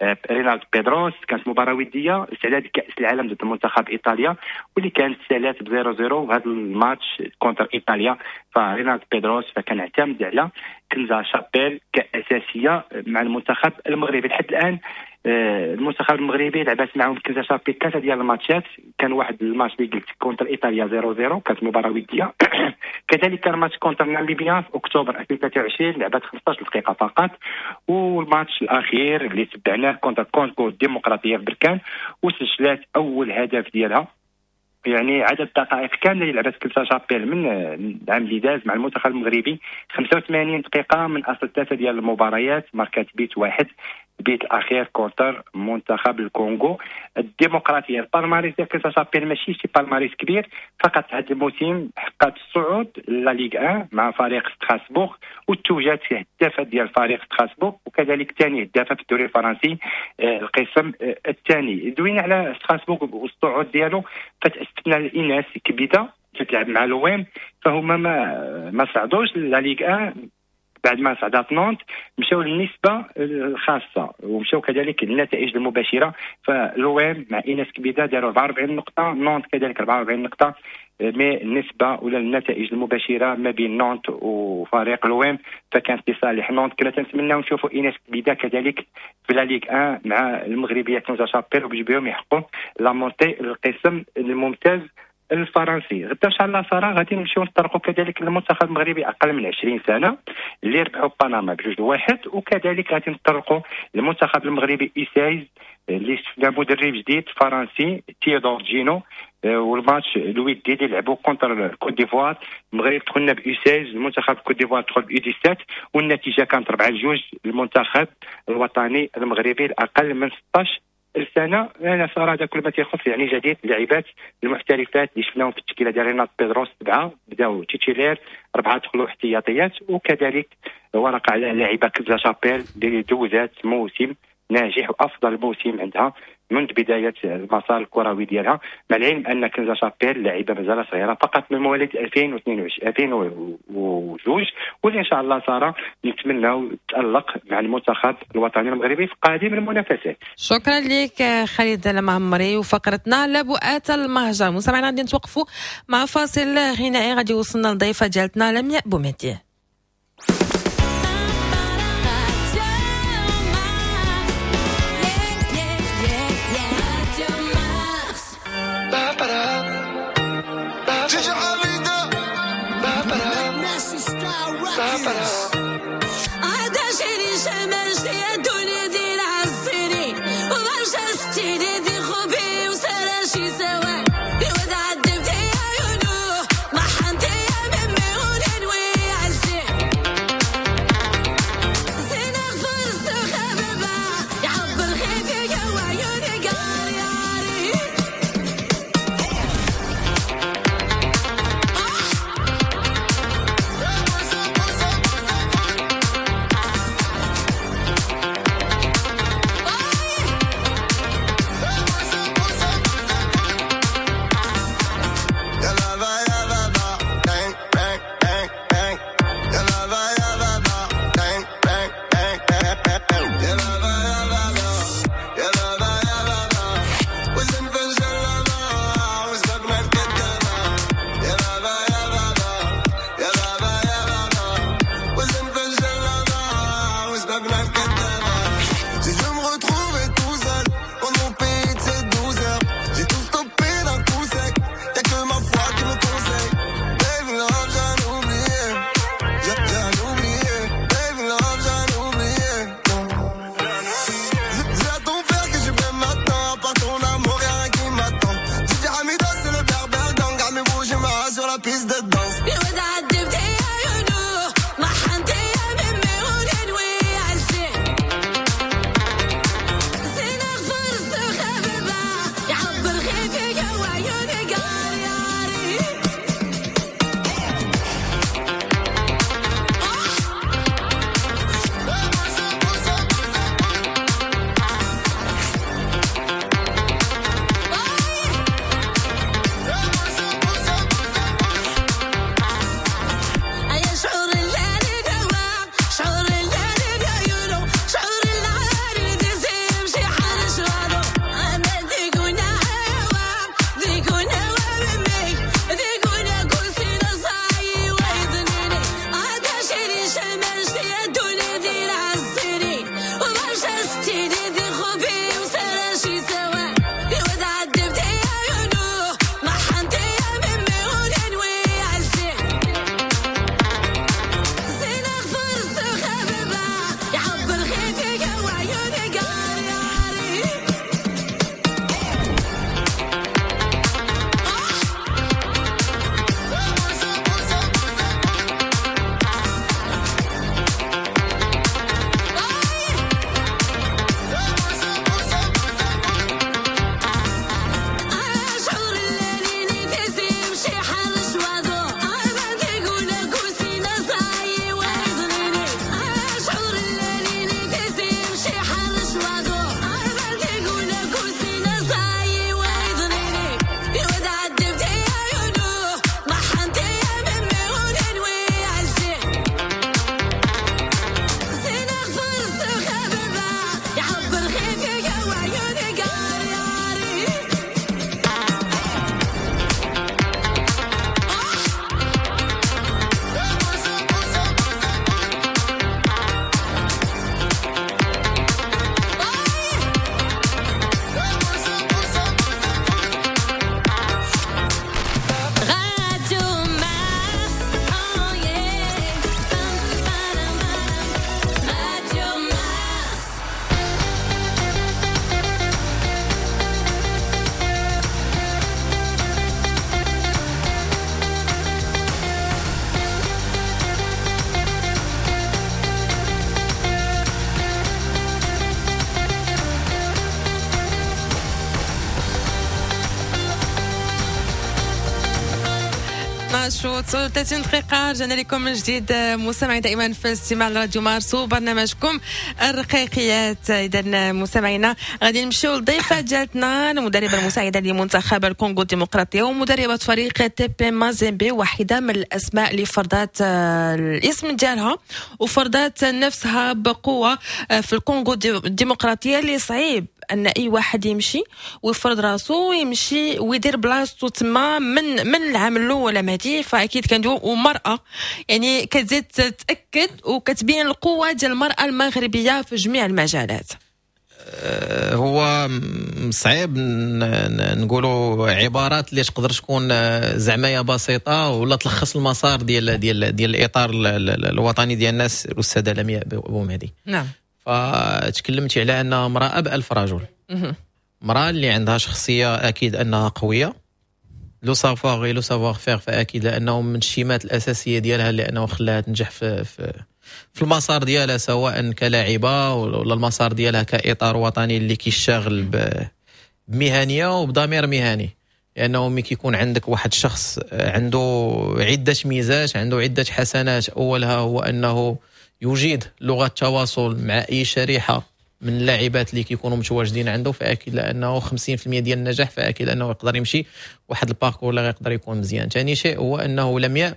آه، رينالد بيدروس، كانت مباراة وديه استعداد كاس العالم ضد منتخب ايطاليا واللي كانت سالات ب صفر صفر. وهذا الماتش contre ايطاليا فرينالد بيدروس فكان اعتمد على كنزا شابيل كاساسيه مع المنتخب المغربي. لحد الان آه، المنتخب المغربي لعبات معهم كنزا شابيل ثلاثة ديال الماتشات. كان واحد الماتش اللي قلت contre ايطاليا صفر صفر، كانت مباراة وديه. كذلك كان ماتش contre ناميبيا في اكتوبر ألفين وثلاثة وعشرين، لعبات خمسة عشر دقيقة فقط. والماتش الاخير اللي تبعناه contre كونغو الديمقراطية في بركان وسجلات اول هدف ديالها. يعني عدد الدقائق كاملة اللي لعبت كنزا شابيل من العام اللي داز مع المنتخب المغربي خمسة وثمانين دقيقة من اصل ثلاثة ديال المباريات، ماركات بيت واحد. ال but الاخير contre منتخب الكونغو الديمقراطية. ال palmarès ديال كنزا شابيل ماشي شي palmarès كبير، فقط هذا الموسم حققت الصعود la Ligue واحد مع فريق ستراسبورغ، وتوجات هدافه ديال فريق ستراسبورغ، وكذلك ثاني هدافه في الدوري الفرنسي القسم الثاني. دوينا على ستراسبورغ والصعود ديالو، فتأسفنا الاناث كبيده تتلعب مع l'OM، فهما ما ما صعدوش la Ligue واحد بعد ما صعدات نونت، مشاو للنسبه الخاصة ومشاو كذلك للنتائج المباشرة. ف l'OM مع ايناس كبيده داروا أربعة وأربعين نقطة، نونت كذلك أربعة وأربعين نقطة، mais النسبة ولا النتائج المباشرة ما بين نونت وفريق l'OM فكانت لصالح نونت. كنا تنتمناو نشوفوا ايناس كبيده كذلك في la Ligue واحد مع المغربية كنزا شابيل وباش بهم يحققوا la montée للقسم الممتاز الفرنسي. غدا ان شاء الله ساره غادي نمشيو نطرقوا كذلك للمنتخب المغربي اقل من عشرين سنة اللي ربحوا بنما بجوج واحد، وكذلك غادي نطرقوا للمنتخب المغربي U seize اللي شفنا مدرب جديد فرنسي تيودور جينو، والماتش الودي اللي لعبوا contre الكوت ديفوار. المغرب دخلنا ب U seize، المنتخب كوت ديفوار دخل ب U dix-sept، والنتيجة كانت أربعة لجوج للمنتخب الوطني المغربي الاقل من ستة عشر السنة. انا صراحة هذا كل ما تيخص يعني جديد اللاعبات المحترفات اللي شفناهم في التشكيلة ديال رينات بيدروس، سبعة بداو titulaires، اربعة دخلوا احتياطيات، وكذلك ورقة على اللاعبه كنزا شابيل اللي دوزات موسم ناجح وافضل موسم عندها منذ بداية المسار الكروي ديالها، مع العلم ان كنزا شابيل لاعبه مازال صغيرة فقط من مواليد ألفين واثنين وعشرين ألفين وجوج، واللي ان شاء الله ساره نتمناو تالق مع المنتخب الوطني المغربي في قادم المنافسات. شكرا لك خالد المعمري وفقرتنا لبؤات المهجر. مستمعينا غادي نتوقفوا مع فاصل غنائي غادي يوصلنا للضيفه ديالتنا لمياء بومهدي. اثنا عشر و ثلاثين دقيقة، رجعنا لكم من جديد مستمعين دائما في الاستماع لراديو مارس وبرنامجكم الرقيقيات. إذا مستمعينا غادي نمشيو للضيفة ديالتنا، المدربة المساعدة لمنتخب الكونغو الديمقراطية ومدربة فريق تي بي مازيمبي، واحدة من الأسماء اللي فرضات آه، الاسم ديالها وفرضات نفسها بقوة آه، في الكونغو الديمقراطية، اللي صعيب ان اي واحد يمشي ويفرض راسو ويمشي ويدير بلاصتو تما من من العام الاول مهدي. فاكيد كندويو ومراة، يعني كتزيد تتاكد وكتبين القوة ديال المراة المغربية في جميع المجالات. أه، هو صعيب نقولوا عبارات اللي تقدر تكون أه، زعما بسيطة ولا تلخص المسار ديال ديال ديال الاطار الوطني ديال الناس الاستاذة لمياء بومهدي. نعم فتكلمتي على انها امراة بألف رجل، امراة اللي عندها شخصية اكيد انها قويه، le savoir le savoir-faire، فاكيد لانه من الشيمات الاساسية ديالها لانه خلاها تنجح في في في المسار ديالها، سواء كلاعبه ولا المسار ديالها كاطار وطني اللي كيشتغل بمهنيه وبضمير مهني. لانه ملي كيكون عندك واحد الشخص عنده عده ميزات، عنده عده حسنات، اولها هو انه يجيد لغة التواصل مع اي شريحة من اللاعبات اللي كيكونوا متواجدين عنده، فاكيد لانه خمسين في المية ديال النجاح، فاكيد انه يقدر يمشي واحد ال parcours اللي يقدر يكون مزيان. ثاني شيء هو انه لمياء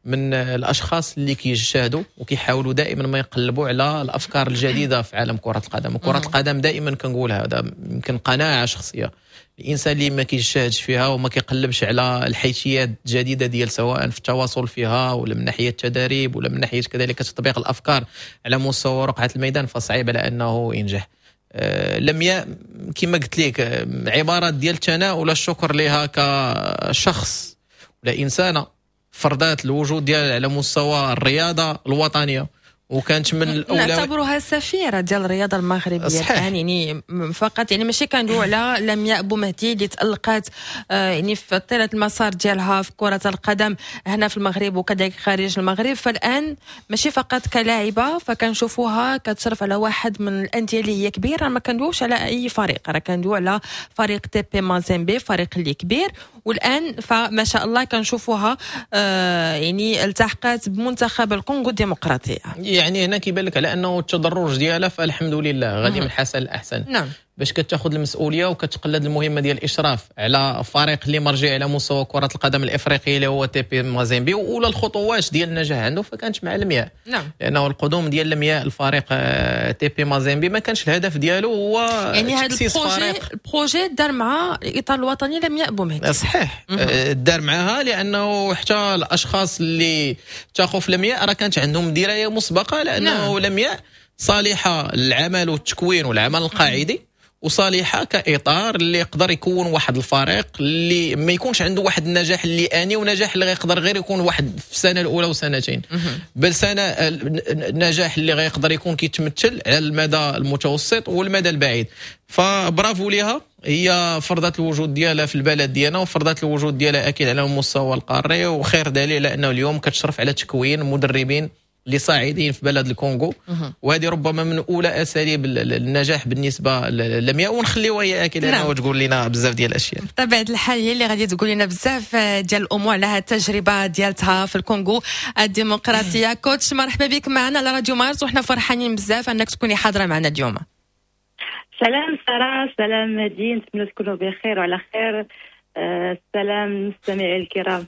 من الاشخاص اللي كيجتهدوا وكيحاولوا دائما ما يقلبوا على الافكار الجديدة في عالم كره القدم. وكره القدم دائما كنقولها، هذا يمكن قناعة شخصيه، الانسان اللي ما كيجتهدش فيها وما كيقلبش على الحيثيات الجديدة ديال سواء في التواصل فيها ولا من ناحية التدريب ولا من ناحية كذلك تطبيق الافكار على مستوى رقعه الميدان، فصعيب على انه ينجح. آه، لمياء كما قلت لك آه، عبارات ديال الثناء ولا الشكر لها كشخص ولا انسانه فرضات الوجود ديالها على مستوى الرياضة الوطنية وكانت من الاولى. نعتبرها سفيره ديال الرياضة المغربية. صحيح. يعني فقط يعني ماشي كندويو على لمياء بومهدي اللي تالقات آه، يعني في طيلة المسار ديالها في كره القدم هنا في المغرب وكذلك خارج المغرب، فالان ماشي فقط كلاعبه، فكنشوفوها كتشرف على واحد من الاندية اللي هي كبيره. ما كندويوش على اي فريق، راه كندويو على فريق تي بي مازيمبي، فريق اللي كبير. والان فما شاء الله كنشوفوها آه يعني التحقت بمنتخب الكونغو الديمقراطيه. يعني هنا كيبان لك على انه التدرج ديالها فالحمد لله غادي من حسن لاحسن. نعم باش كتاخذ المسؤولية وكتقلد المهمة ديال الاشراف على فريق اللي مرجع على مستوى كره القدم الافريقية اللي هو تي بي مازيمبي، واولى الخطوات ديال النجاح عنده فكانت مع لمياء. نعم لانه القدوم ديال لمياء الفريق آه، تي بي مازيمبي ما كانش الهدف ديالو هو يعني هذا ال projet ال projet دار مع الاطار الوطني لمياء بومهدي. صحيح، آه، دار معها، لانه حتى الاشخاص اللي تاخذ في لمياء راه كانت عندهم دراية مسبقة لانه نعم. لمياء صالحه للعمل والتكوين والعمل القاعدي وصالحه كاطار اللي يقدر يكون واحد الفريق اللي ما يكونش عنده واحد النجاح اللي اني ونجاح اللي غيقدر غير يكون واحد في السنة الاولى وسنتين، بل سنة النجاح اللي غيقدر يكون كيتمثل على المدى المتوسط والمدى البعيد. فبرافو ليها، هي فرضت الوجود ديالها في البلد ديالنا وفرضت الوجود ديالها اكيد على المستوى القاري، وخير دليل على انه اليوم كتشرف على تكوين مدربين اللي صاعدين في بلد الكونغو، وهذه ربما من اولى اساليب النجاح بالنسبة للمياء، ونخليوها هي اكيد لانه نعم. تقول لنا بزاف ديال الاشياء. بطبيعة الحال هي اللي غادي تقول لنا بزاف ديال الامور على هذه التجربة ديالتها في الكونغو الديمقراطيه. coach، مرحبا بك معنا على راديو مارس، وحنا فرحانين بزاف انك تكوني حاضره معنا اليوم. سلام ساره، سلام مهدي، نتمنى تكونوا بخير وعلى خير. آه، السلام المستمعين الكرام.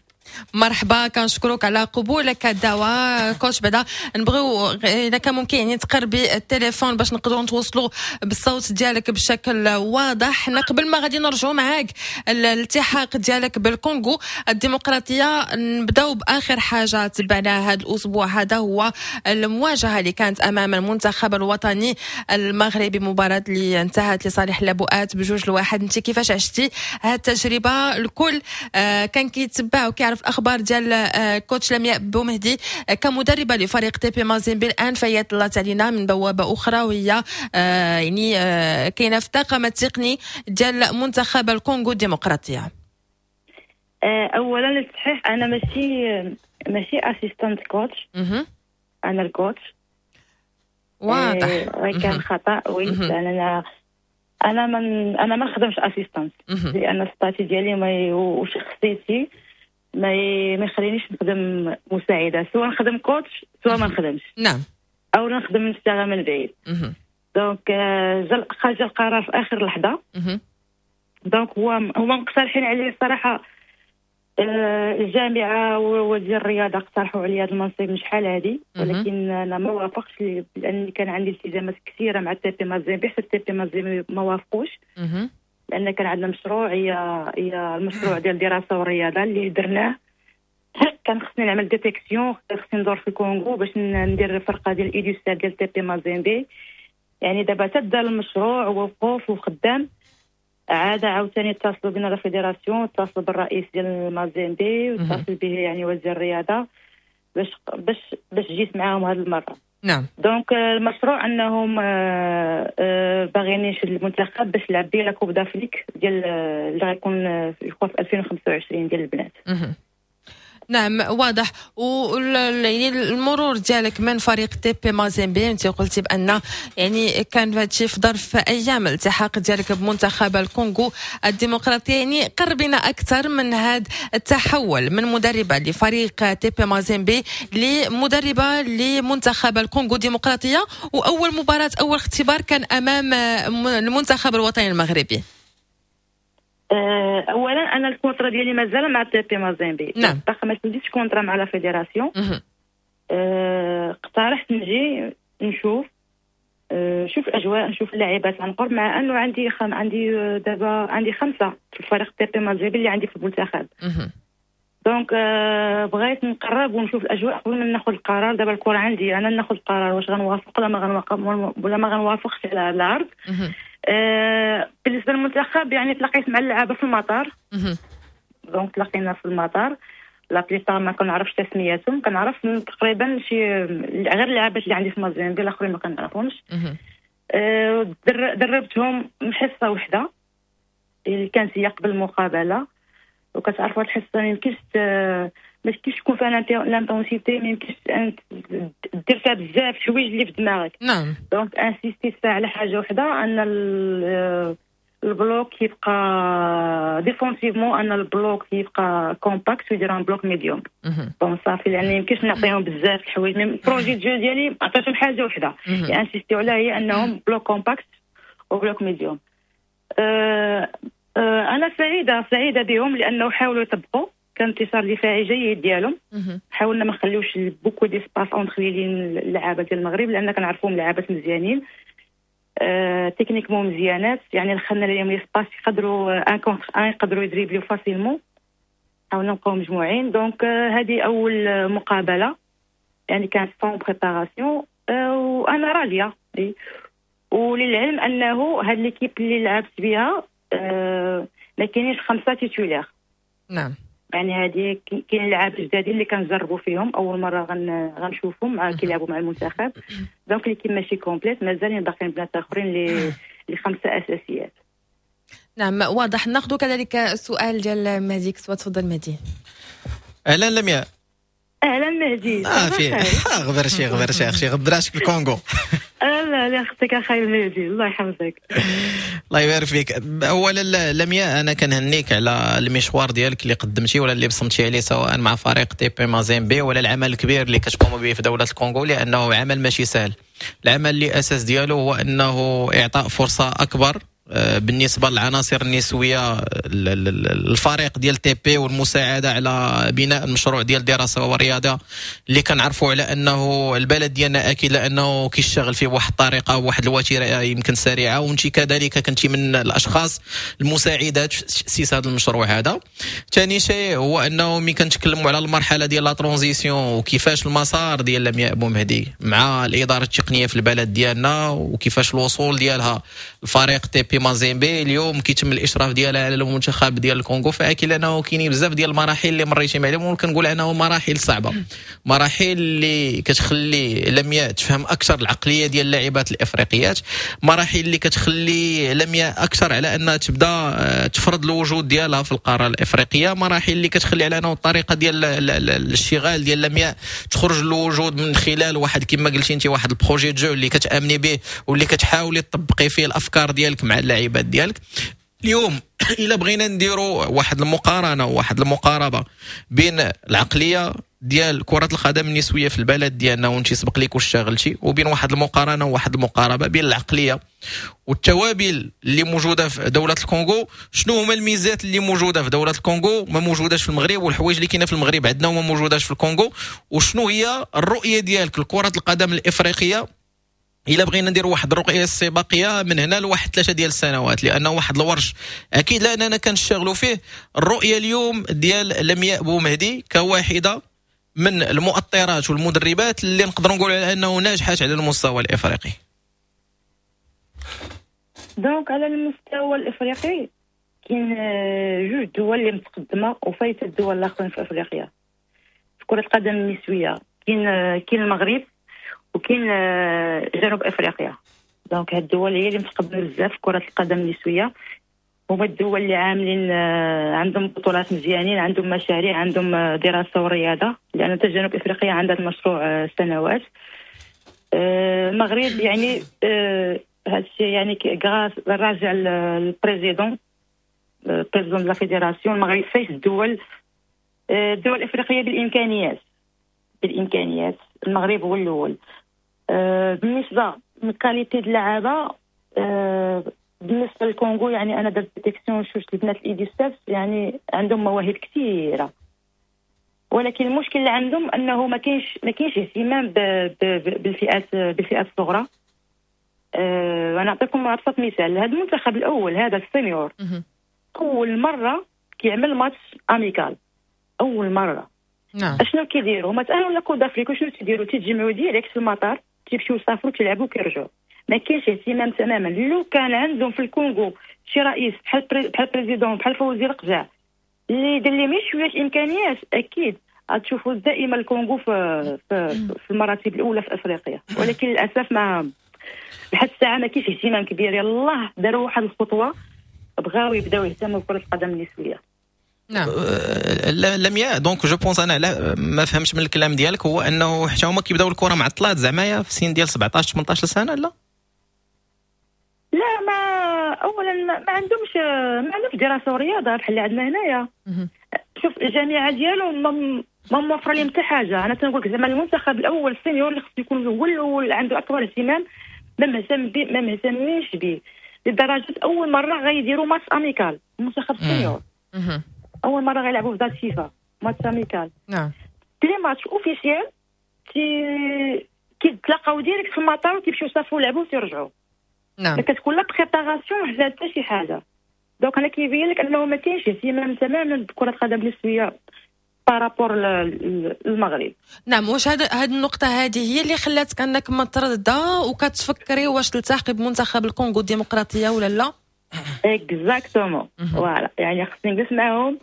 مرحبا، كنشكرك على قبولك الدعوة coach. بعدا نبغيو اذا كان ممكن يعني تقربي التليفون باش نقدروا نتوصلوا بالصوت ديالك بشكل واضح. حنا قبل ما غادي نرجعوا معاك الالتحاق ديالك بالكونغو الديمقراطيه، نبداو باخر حاجة تبعناها هذا الاسبوع هذا، هو المواجهة اللي كانت امام المنتخب الوطني المغربي، مباراة اللي انتهت لصالح اللبؤات بجوج لواحد. انت كيفاش عشتي هذه التجربه؟ الكل آه، كان كيتبع وكيعرف الاخبار ديال آه، coach لمياء بومهدي آه، كمدربه لفريق تي بي مازيمبي. الان فهي طلعت علينا من بوابه اخرى، وهي آه، يعني كاينه في الطاقم التقني ديال منتخب الكونغو الديمقراطيه. اولا للتصحيح، انا ماشي ماشي assistant coach، انا ال coach. واضح. كان خطا، oui، لان انا انا من انا ما نخدمش assistant، لان ال statut ديالي وشخصيتي. ما ي- ما يخلينيش نخدم مساعده، سواء نخدم coach سواء ما نخدمش. نعم او نخدم نشتغل من بعيد. مهم. donc آه، جا جا القرار في اخر لحظه. مهم. donc هو هما مقترحين عليه الصراحه، آه، الجامعة ووزير الرياضة اقترحوا علي هذا المنصب من شحال هذه، مهم. ولكن انا ما وافقتش لان كان عندي التزامات كثيرة مع التي بي مازيمبي، حتى التي بي مازيمبي ما وافقوش، مهم. لان كان عندنا مشروع، هي هي المشروع ديال الدراسة والرياضة اللي درناه، كان خصني نعمل détection، خصني ندور في الكونغو باش ندير فرقه ديال U dix-sept ديال تي بي مازيمبي. يعني دابا تبدا المشروع ووقوف وخدام، عاد عاوتاني اتصلوا بنا la fédération، اتصلوا بالرئيس ديال المازيمبي واتصل به يعني وزير الرياضة باش باش باش جيت معاهم هذه المره. نعم donc آه، المشروع انهم آه، آه، باغيين نشد المنتخب باش نلعب به la Coupe d'Afrique ديال آه، اللي غيكون آه، في ألفين وخمسة وعشرين ديال البنات. مهم. نعم، واضح. و يعني المرور ديالك من فريق تي بي مازيمبي، انت قلتي بان يعني كان هذا الشيء في ظرف ايام الالتحاق ديالك بمنتخب الكونغو الديمقراطيه، يعني قربنا اكثر من هذا التحول من مدربه لفريق تي بي مازيمبي لمدربه لمنتخب الكونغو الديمقراطيه، واول مباراه، اول اختبار كان امام المنتخب الوطني المغربي. آه، اولا انا ال contrat ديالي مازال مع تي بي مازيمبي. نعم. باقي ما سجلتش contrat مع la fédération. مهم. آه، اقترحت نجي نشوف آه، نشوف الاجواء، نشوف اللاعبات عن قرب، مع انه عندي خم عندي آه، دابا عندي خمسة في الفريق تي بي مازيمبي اللي عندي في المنتخب. مهم. donc آه، بغيت نقرب ونشوف الاجواء قبل ما ناخذ القرار. دابا الكره عندي، انا ناخذ القرار واش غنوافق ولا ما غنوافق ولا ما غنوافقش على هذا العرض. مهم. آه، بالنسبة للمنتخب، يعني تلاقيت مع اللعابه في المطار. مهم. donc تلاقينا في المطار، la plupart ما كنعرفش تسمياتهم، كنعرف تقريبا شي غير اللعابات اللي عندي في مازيمبي، الاخرين ما كنعرفهمش. مهم. آه، در- دربتهم حصة وحده اللي كانت هي قبل المقابله، وكتعرفوا هاد الحصة ما يمكنش ت- ما يمكنش تكون فيها l'intensité، ما يمكنش أنت دير فيها بزاف الحوايج اللي في دماغك. نعم donc insistيت فيها على حاجة وحده، ان ال- ال bloc يبقى défensivement، ان ال bloc يبقى compact ويدير un bloc médium. مهم. bon صافي، لان يمكنش نعطيهم بزاف الحوايج، mais projet de jeu ديالي عطيتهم حاجة وحده مهم. insister عليها، هي انهم bloc compact و bloc médium. أه أه انا سعيده سعيده بهم لانه حاولوا يطبقوا، كان انتصار دفاعي جيد ديالهم. مهم. حاولنا ما نخليوش beaucoup d'espaces entre les lignes اللعابه ديال المغرب، لان كنعرفوهم لعابات مزيانين، آه techniquement مزيانات، يعني دخلنا لهم l'espace يقدروا un contre un، يقدروا يدريبليو facilement. حاولنا نبقاو مجموعين. donc آه هذه اول آه، مقابله يعني كانت sans préparation، آه وانا راضيه إي. وللعلم انه هاد l'équipe اللي لعبت بها آه ما كاينينش خمسة titulaires. نعم يعني هذه كاين لعاب جدادين اللي كنجربوا فيهم، اول مرة غن غنشوفهم مع كيلعبوا مع المنتخب. donc l'équipe ماشي complète، مازالين باقيين بنات اخرين اللي اللي خمسة اساسيات. نعم، واضح. ناخذ كذلك السؤال ديال مهدي كسوة، تفضل مهدي. اهلا لمياء. اهلا مهدي. اه في آه، غبر شي غبر شي اختي، غبراشك في الكونغو. لا لا، اختك اخاي مهدي، الله يحفظك. الله يبارك فيك. اولا لمياء، انا كنهنيك على المشوار ديالك اللي قدمتي ولا اللي بصمتي عليه، سواء مع فريق تي بي مازيمبي ولا العمل الكبير اللي كتقوم به في دولة الكونغو، لانه عمل ماشي سهل. العمل اللي اساس ديالو هو انه اعطاء فرصة اكبر آه، بالنسبة للعناصر النسوية الفريق ديال تي بي، والمساعدة على بناء المشروع ديال الدراسة والرياضة اللي كنعرفوا على انه البلد ديالنا اكيد لانه كيشتغل فيه بواحد الطريقة وواحد الوتيره يمكن سريعه، وانت كذلك كنتي من الاشخاص المساعدات في تاسيس هذا المشروع هذا. ثاني شيء هو انه ملي كنتكلموا على المرحلة ديال la transition وكيفاش المسار ديال لمياء بومهدي مع الادارة التقنية في البلد ديالنا، وكيفاش الوصول ديالها الفريق تي بي مازيمبي، اليوم كيتم الاشراف ديالها على المنتخب ديال الكونغو، فاكيد انه كاينين بزاف ديال المراحل اللي مريتي معهم، وكنقول انه مراحل صعبه، مراحل اللي كتخلي لمياء تفهم اكثر العقلية ديال اللاعبات الافريقيات، مراحل اللي كتخلي لمياء اكثر على انها تبدا آه، تفرض الوجود ديالها في القارة الافريقيه، مراحل اللي كتخلي على انه الطريقة ديال الاشتغال ديال لمياء تخرج للوجود من خلال واحد، كما قلتي انت، واحد ال projet de jeu اللي كتامني به واللي كتحاولي تطبقي فيه الافكار ديالك مع اللاعبات ديالك. اليوم الا بغينا نديروا واحد المقارنة وواحد المقاربة بين العقلية ديال كره القدم النسوية في البلد ديالنا، وانت سبق لك واشتغلتي، وبين واحد المقارنة وواحد المقاربة بين العقلية والتوابل اللي موجودة في دولة الكونغو، شنو هما الميزات اللي موجودة في دولة الكونغو ما موجوداش في المغرب، والحوايج اللي كاينه في المغرب عندنا وما موجوداش في الكونغو، وشنو هي الرؤية ديالك لكرة القدم الافريقية الا بغينا نديروا واحد الرؤية استباقية من هنا لواحد ثلاثة ديال السنوات، لانه واحد الورش اكيد لاننا كنشتغلوا فيه. الرؤية اليوم ديال لمياء بومهدي كواحده من المؤطرات والمدربات اللي نقدروا نقولوا على انه ناجحات على المستوى الافريقي. donc على المستوى الافريقي كاين جوج دول اللي متقدمة وفايته الدول الاخرين في افريقيا في كره القدم النسوية، كاين كاين المغرب وكاين جنوب افريقيا. donc هاد الدول هي اللي متقدمة بزاف في كره القدم النسوية، هما الدول اللي عاملين عندهم بطولات مزيانين، عندهم مشاريع، عندهم دراسة ورياضة، لان حتى جنوب افريقيا عندها المشروع سنوات. المغرب يعني هذا الشيء يعني grâce راجع لل président président la fédération. المغرب فايت الدول الدول الافريقية بالامكانيات بالامكانيات المغرب هو الاول. بالنسبة لل qualité اللعابه بالنسبة للكونغو، يعني انا درت détection شفت البنات ال U dix-sept، يعني عندهم مواهب كثيرة، ولكن المشكل اللي عندهم انه ما كاينش ما كاينش اهتمام بالفئات بالفئات الصغرى. أه انا نعطيكم ابسط مثال، هذا المنتخب الاول هذا ال senior اول مرة كيعمل match amical، اول مرة. نعم. اشنو كيديروا؟ هما تاهلوا la Coupe d'Afrique، شنو تيديروا؟ تيتجمعوا direct في المطار، تيمشيو يسافروا، تيلعبوا، كيرجعوا. ما كاينش اهتمام تماما. لو كان عندهم في الكونغو شي رئيس بحال بحال président بحال فوزي القجع اللي يدير لهم شوية امكانيات، اكيد غتشوفوا دائما الكونغو في في, في المراتب الاولى في افريقيا، ولكن للاسف ما لحد الساعة ما كاينش اهتمام كبير. يلاه داروا واحد الخطوة، بغاو يبداو يهتموا بكره القدم النسوية. نعم. لمياء، donc je pense انا لا ما فهمتش من الكلام ديالك هو انه حتى هما كيبداو الكره معطلات زعما في سن ديال سبعطاش ثمنطاش سنة؟ لا لا، ما اولا ما عندهمش ما عندهمش دراسة ورياضة بحال اللي عندنا هنايا. شوف الجامعة ديالهم ما ما موفره لهم حتى حاجة. انا تنقول لك زعما المنتخب الاول ال senior اللي خصو يكون هو الاول عنده اكبر اهتمام، ما مهتم به، ما مهتمينش به لدرجة اول مرة غيديروا match amical المنتخب ال senior، اول مرة غيلعبوا في date FIFA match amical. نعم les matchs officiels تي كيتلاقاو direct في المطار وكيمشيو يسافروا يلعبوا وتيرجعوا. نعم ما كتكون لا préparation لا حتى شي حاجة. donc انا كيبين لك انه ما كاينش اهتمام تماما بكره القدم النسوية par rapport للمغرب. نعم، واش هذا هذه النقطة هذه هي اللي خلاتك انك مترددة وكتفكري واش تلتحقي بمنتخب الكونغو الديمقراطية ولا لا؟ exactement، voilà، يعني خصني نجلس معاهم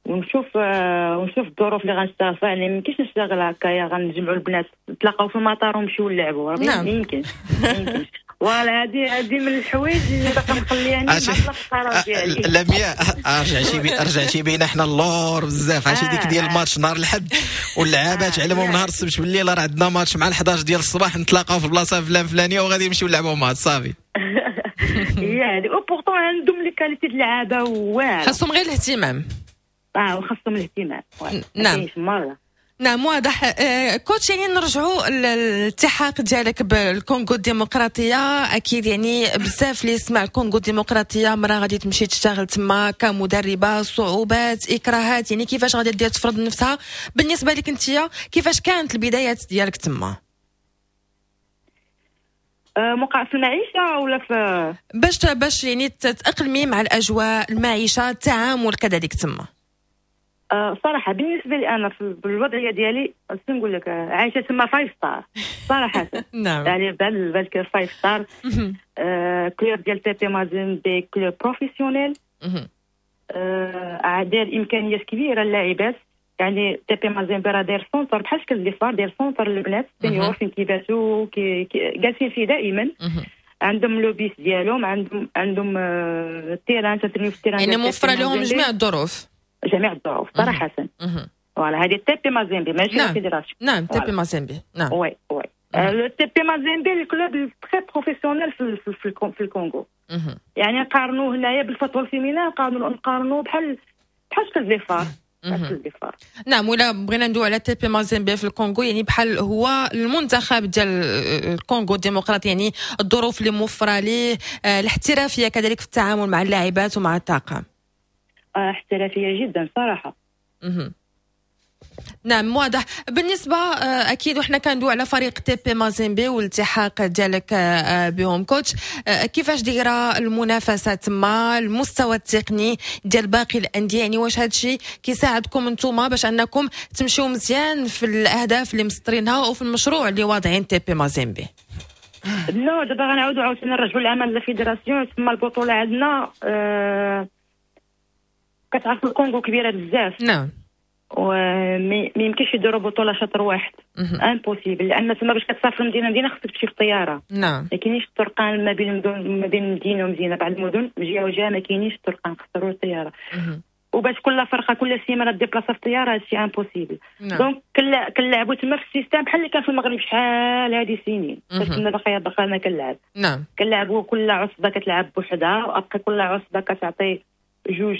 ونشوف آه، ونشوف الظروف اللي غنشتغل فيها. يعني ما يمكنش نشتغل هكايا، غنجمعوا البنات نتلاقاو في المطار ونمشيو نلعبوا. نعم. ما يمكنش، ما يمكنش. voilà، هذه هذه من الحوايج اللي باقا مخلياني عرفتي- معطلة في القرار ديالي. لمياء، رجعتي بي رجعتي بينا حنا اللور بزاف. عرفتي ديك ديال الماتش نهار الحد واللعابات علمهم نهار السبت بالليل راه عندنا ماتش مع الحداش ديال الصباح، نتلاقاو في البلاصة فلان فلانيه وغادي نمشيو نلعبوا ماتش صافي. هي هذه، و pourtant عندهم les qualités اللعابه واعرة. خاصهم غير الاهتمام. اه، وخاصهم الاهتمام. ما نعم. كاينش مرة. نعم، واضح. آه، coach، يعني نرجعوا للالتحاق ديالك بالكونغو الديمقراطيه. اكيد يعني بزاف اللي يسمع الكونغو الديمقراطيه، مرا غادي تمشي تشتغل تما كمدربه، صعوبات، اكراهات، يعني كيفاش غادي دير تفرض نفسها؟ بالنسبة لك انت كيفاش كانت البدايات ديالك تما؟ آه، موقع في المعيشة ولا في باش باش يعني تتاقلمي مع الاجواء، المعيشه، التعامل كذلك تما. آه، صراحة بالنسبة لي انا في بالوضعيه ديالي، شنو نقول لك، آه، عايشه تما five star صراحه. نعم يعني بال بالك five star، آه، club ديال تي بي مازيمبي club professionnel، آه، داير امكانيات كبيرة للاعبات. يعني تي بي مازيمبي راه داير centre بحال شكل دي فار، داير centre للبنات senior فين كيباتوا، كي كي- جالسين فيه دائما، عندهم le bus ديالهم، عندهم عندهم آه، terrain، تترينيو في ال terrain يعني ديال تي بي موفره لهم مازيمبي. جميع الظروف. جميع الظروف صراحه. مهم. voilà، هذه تي بي مازيمبي ماشي نعم. fédération. نعم، تي بي voilà. مازيمبي، نعم. oui oui. le تي بي مازيمبي ال club très professionnel في في في الكونغو. يعني نقارنوه هنايا بال football féminin، نقارنو نقارنو بحال بحال شكل les FAR. نعم، ولا بغينا ندوي على تي بي مازيمبي في الكونغو، يعني بحال هو المنتخب ديال الكونغو الديمقراطي، يعني الظروف اللي موفره ليه، الاحترافية كذلك في التعامل مع اللاعبات ومع الطاقم. احترافية جدا صراحة. مه. نعم واضح. بالنسبة اكيد وحنا كندوي على فريق تي بي مازيمبي والالتحاق ديالك بهم coach، كيفاش دايرة المنافسة تما، المستوى التقني ديال باقي الاندية، يعني واش هذا الشيء كيساعدكم انتم باش انكم تمشيو مزيان في الاهداف اللي مسطرينها وفي المشروع اللي واضعين تي بي مازيمبي؟ لا دابا غنعاودوا عاوتاني نرجعوا العمل la fédération. تما البطولة عندنا أه كتعرف الكونغو كبيرة بزاف. نعم، وما يمكنش يديروا بطوله شطر واحد، impossible، لان تما باش كتسافر مدينة مدينة خصك تمشي في الطيارة. نعم، ما كاينيش الطرقان ما بين المدن، ما بين مدينة ومدينة، بعض المدن جهة وجهه ما كاينيش الطرقان، خصك تروح الطيارة. وباش كل فرقه كل سيمانه déplaça في الطيارة، هادشي impossible. donc كنلعبوا تما في ال système بحال اللي كان في المغرب شحال هادي سنين، فاش كنا باقي باقي كنلعب. نعم، كنلعبوا كل عصبه كتلعب بوحدها، وابقى كل عصبه كتعطي جوج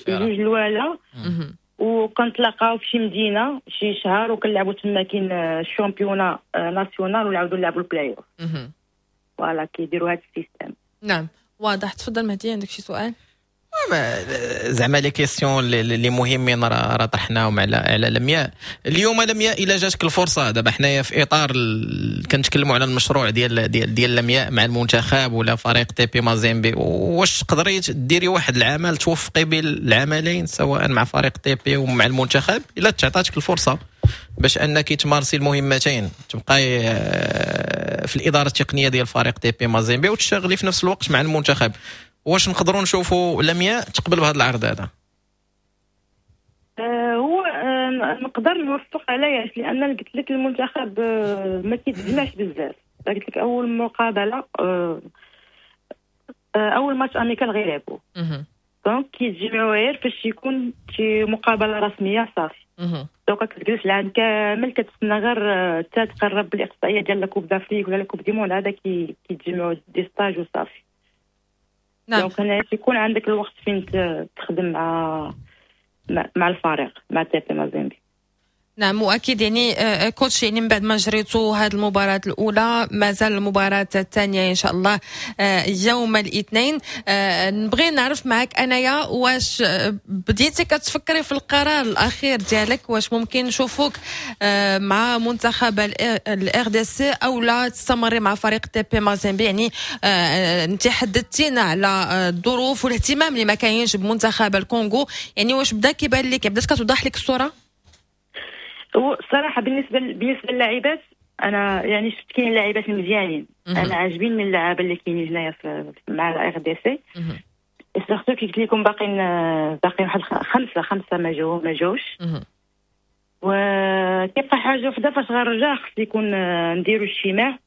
جوج الوالا، وكنتلاقاو في شي مدينة شي شهر وكنلعبوا تما، كاين ال championnat national ونعاودوا نلعبوا ال play-off. voilà كيديروا هذا ال système. نعم واضح. تفضل مهدي، عندك شي سؤال؟ زعما les questions اللي مهمين راه طرحناهم على على لمياء اليوم. لمياء الا جاتك الفرصة دابا حنايا في اطار ال... كنتكلموا على المشروع ديال ديال ديال لمياء مع المنتخب ولا فريق تي بي مازيمبي، واش تقدري ديري واحد العمل توفقي بين العملين سواء مع فريق تي بي ومع المنتخب الا تعطاتك الفرصة باش انك تمارسي المهمتين، تبقاي في الادارة التقنية ديال فريق تي بي مازيمبي وتشتغلي في نفس الوقت مع المنتخب، واش نقدروا نشوفوا لمياء تقبل بهذا العرض هذا؟ آه هو آه نقدر نوفق عليها، لان قلت لك المنتخب آه ما كيتجمعش بزاف. قلت لك اول مقابله آه آه اول match amical غيلعبوا، donc كيتجمعوا غير فاش يكون شي مقابله رسمية صافي. donc كتجلس العام كامل كتسنى غير حتى تقرب الاقصائية ديال la Coupe d'Afrique ولا la Coupe du monde، هذا كيتجمعوا des stages وصافي. نعم، donc هنا يكون عندك الوقت فين تخدم مع مع الفريق مع تي بي مازيمبي. نعم، واكيد يعني coach، يعني من بعد ما جريتوا هذه المباراة الاولى مازال المباراة الثانية ان شاء الله يوم الاثنين. نبغي نعرف معك انايا واش بديتي كتفكري في القرار الاخير ديالك، واش ممكن نشوفوك مع منتخب ال RDC او لا تستمري مع فريق تي بي مازيمبي؟ يعني انت حددتينا على الظروف والاهتمام اللي ما كاينش بمنتخب الكونغو، يعني واش بدا كيبان لك، بدات كتوضح لك الصورة؟ هو الصراحة بالنسبة بالنسبة للاعبات انا يعني شفت كاين لاعبات مزيانين، انا عاجبين من اللعابه اللي كاينين هنايا مع ال RDC، surtout كي قلت لكم باقيين باقيين واحد خمسة خمسة ما جاو ما جاوش. وكيبقى حاجة وحده فاش غنرجع خص يكون نديروا اجتماع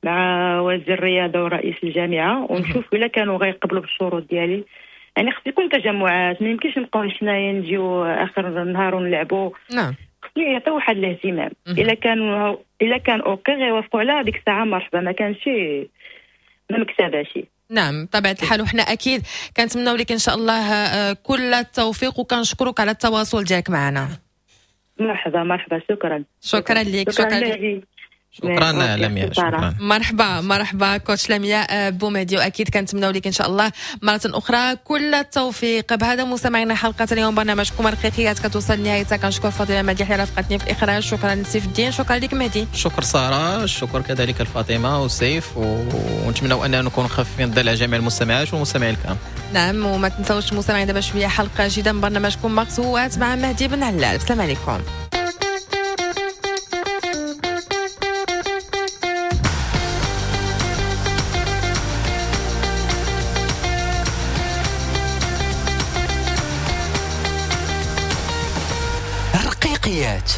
مع وزير الرياضة ورئيس الجامعة ونشوف الا كانوا غيقبلوا بالشروط ديالي. يعني خص يكون تجمعات، ما يمكنش نبقاو حنايا نجيو اخر النهار ونلعبوا. نعم، خصني يعطيو واحد الاهتمام. الا كان الا كان OK غيوافقوا على هذيك الساعة مرحبا، ما كانش ما مكتباش. نعم بطبيعة الحال، وحنا اكيد كنتمناو لك ان شاء الله كل التوفيق وكنشكرك على التواصل ديالك معنا. مرحبا مرحبا، شكرا شكرا لك، شكرا لك، شكرا لمياء، شكرا. مرحبا مرحبا coach لمياء بومهدي، واكيد كنتمناو لك ان شاء الله مرة اخرى كل التوفيق. بهذا مستمعينا حلقة اليوم برنامجكم رقيقيات كتوصل لنهايتها. كنشكر فاطمة مديح اللي رافقتني في الاخراج، شكرا لسيف الدين، شكرا لك مهدي، شكر ساره، شكر كذلك لفاطمة وسيف، ونتمناو اننا نكون خفيفين الظل على جميع المستمعات والمستمعين الكرام. نعم، وما تنساوش مستمعين دابا شوية حلقة جديدة من برنامجكم مقصوات مع مهدي بن علال. السلام عليكم. رقيقيات.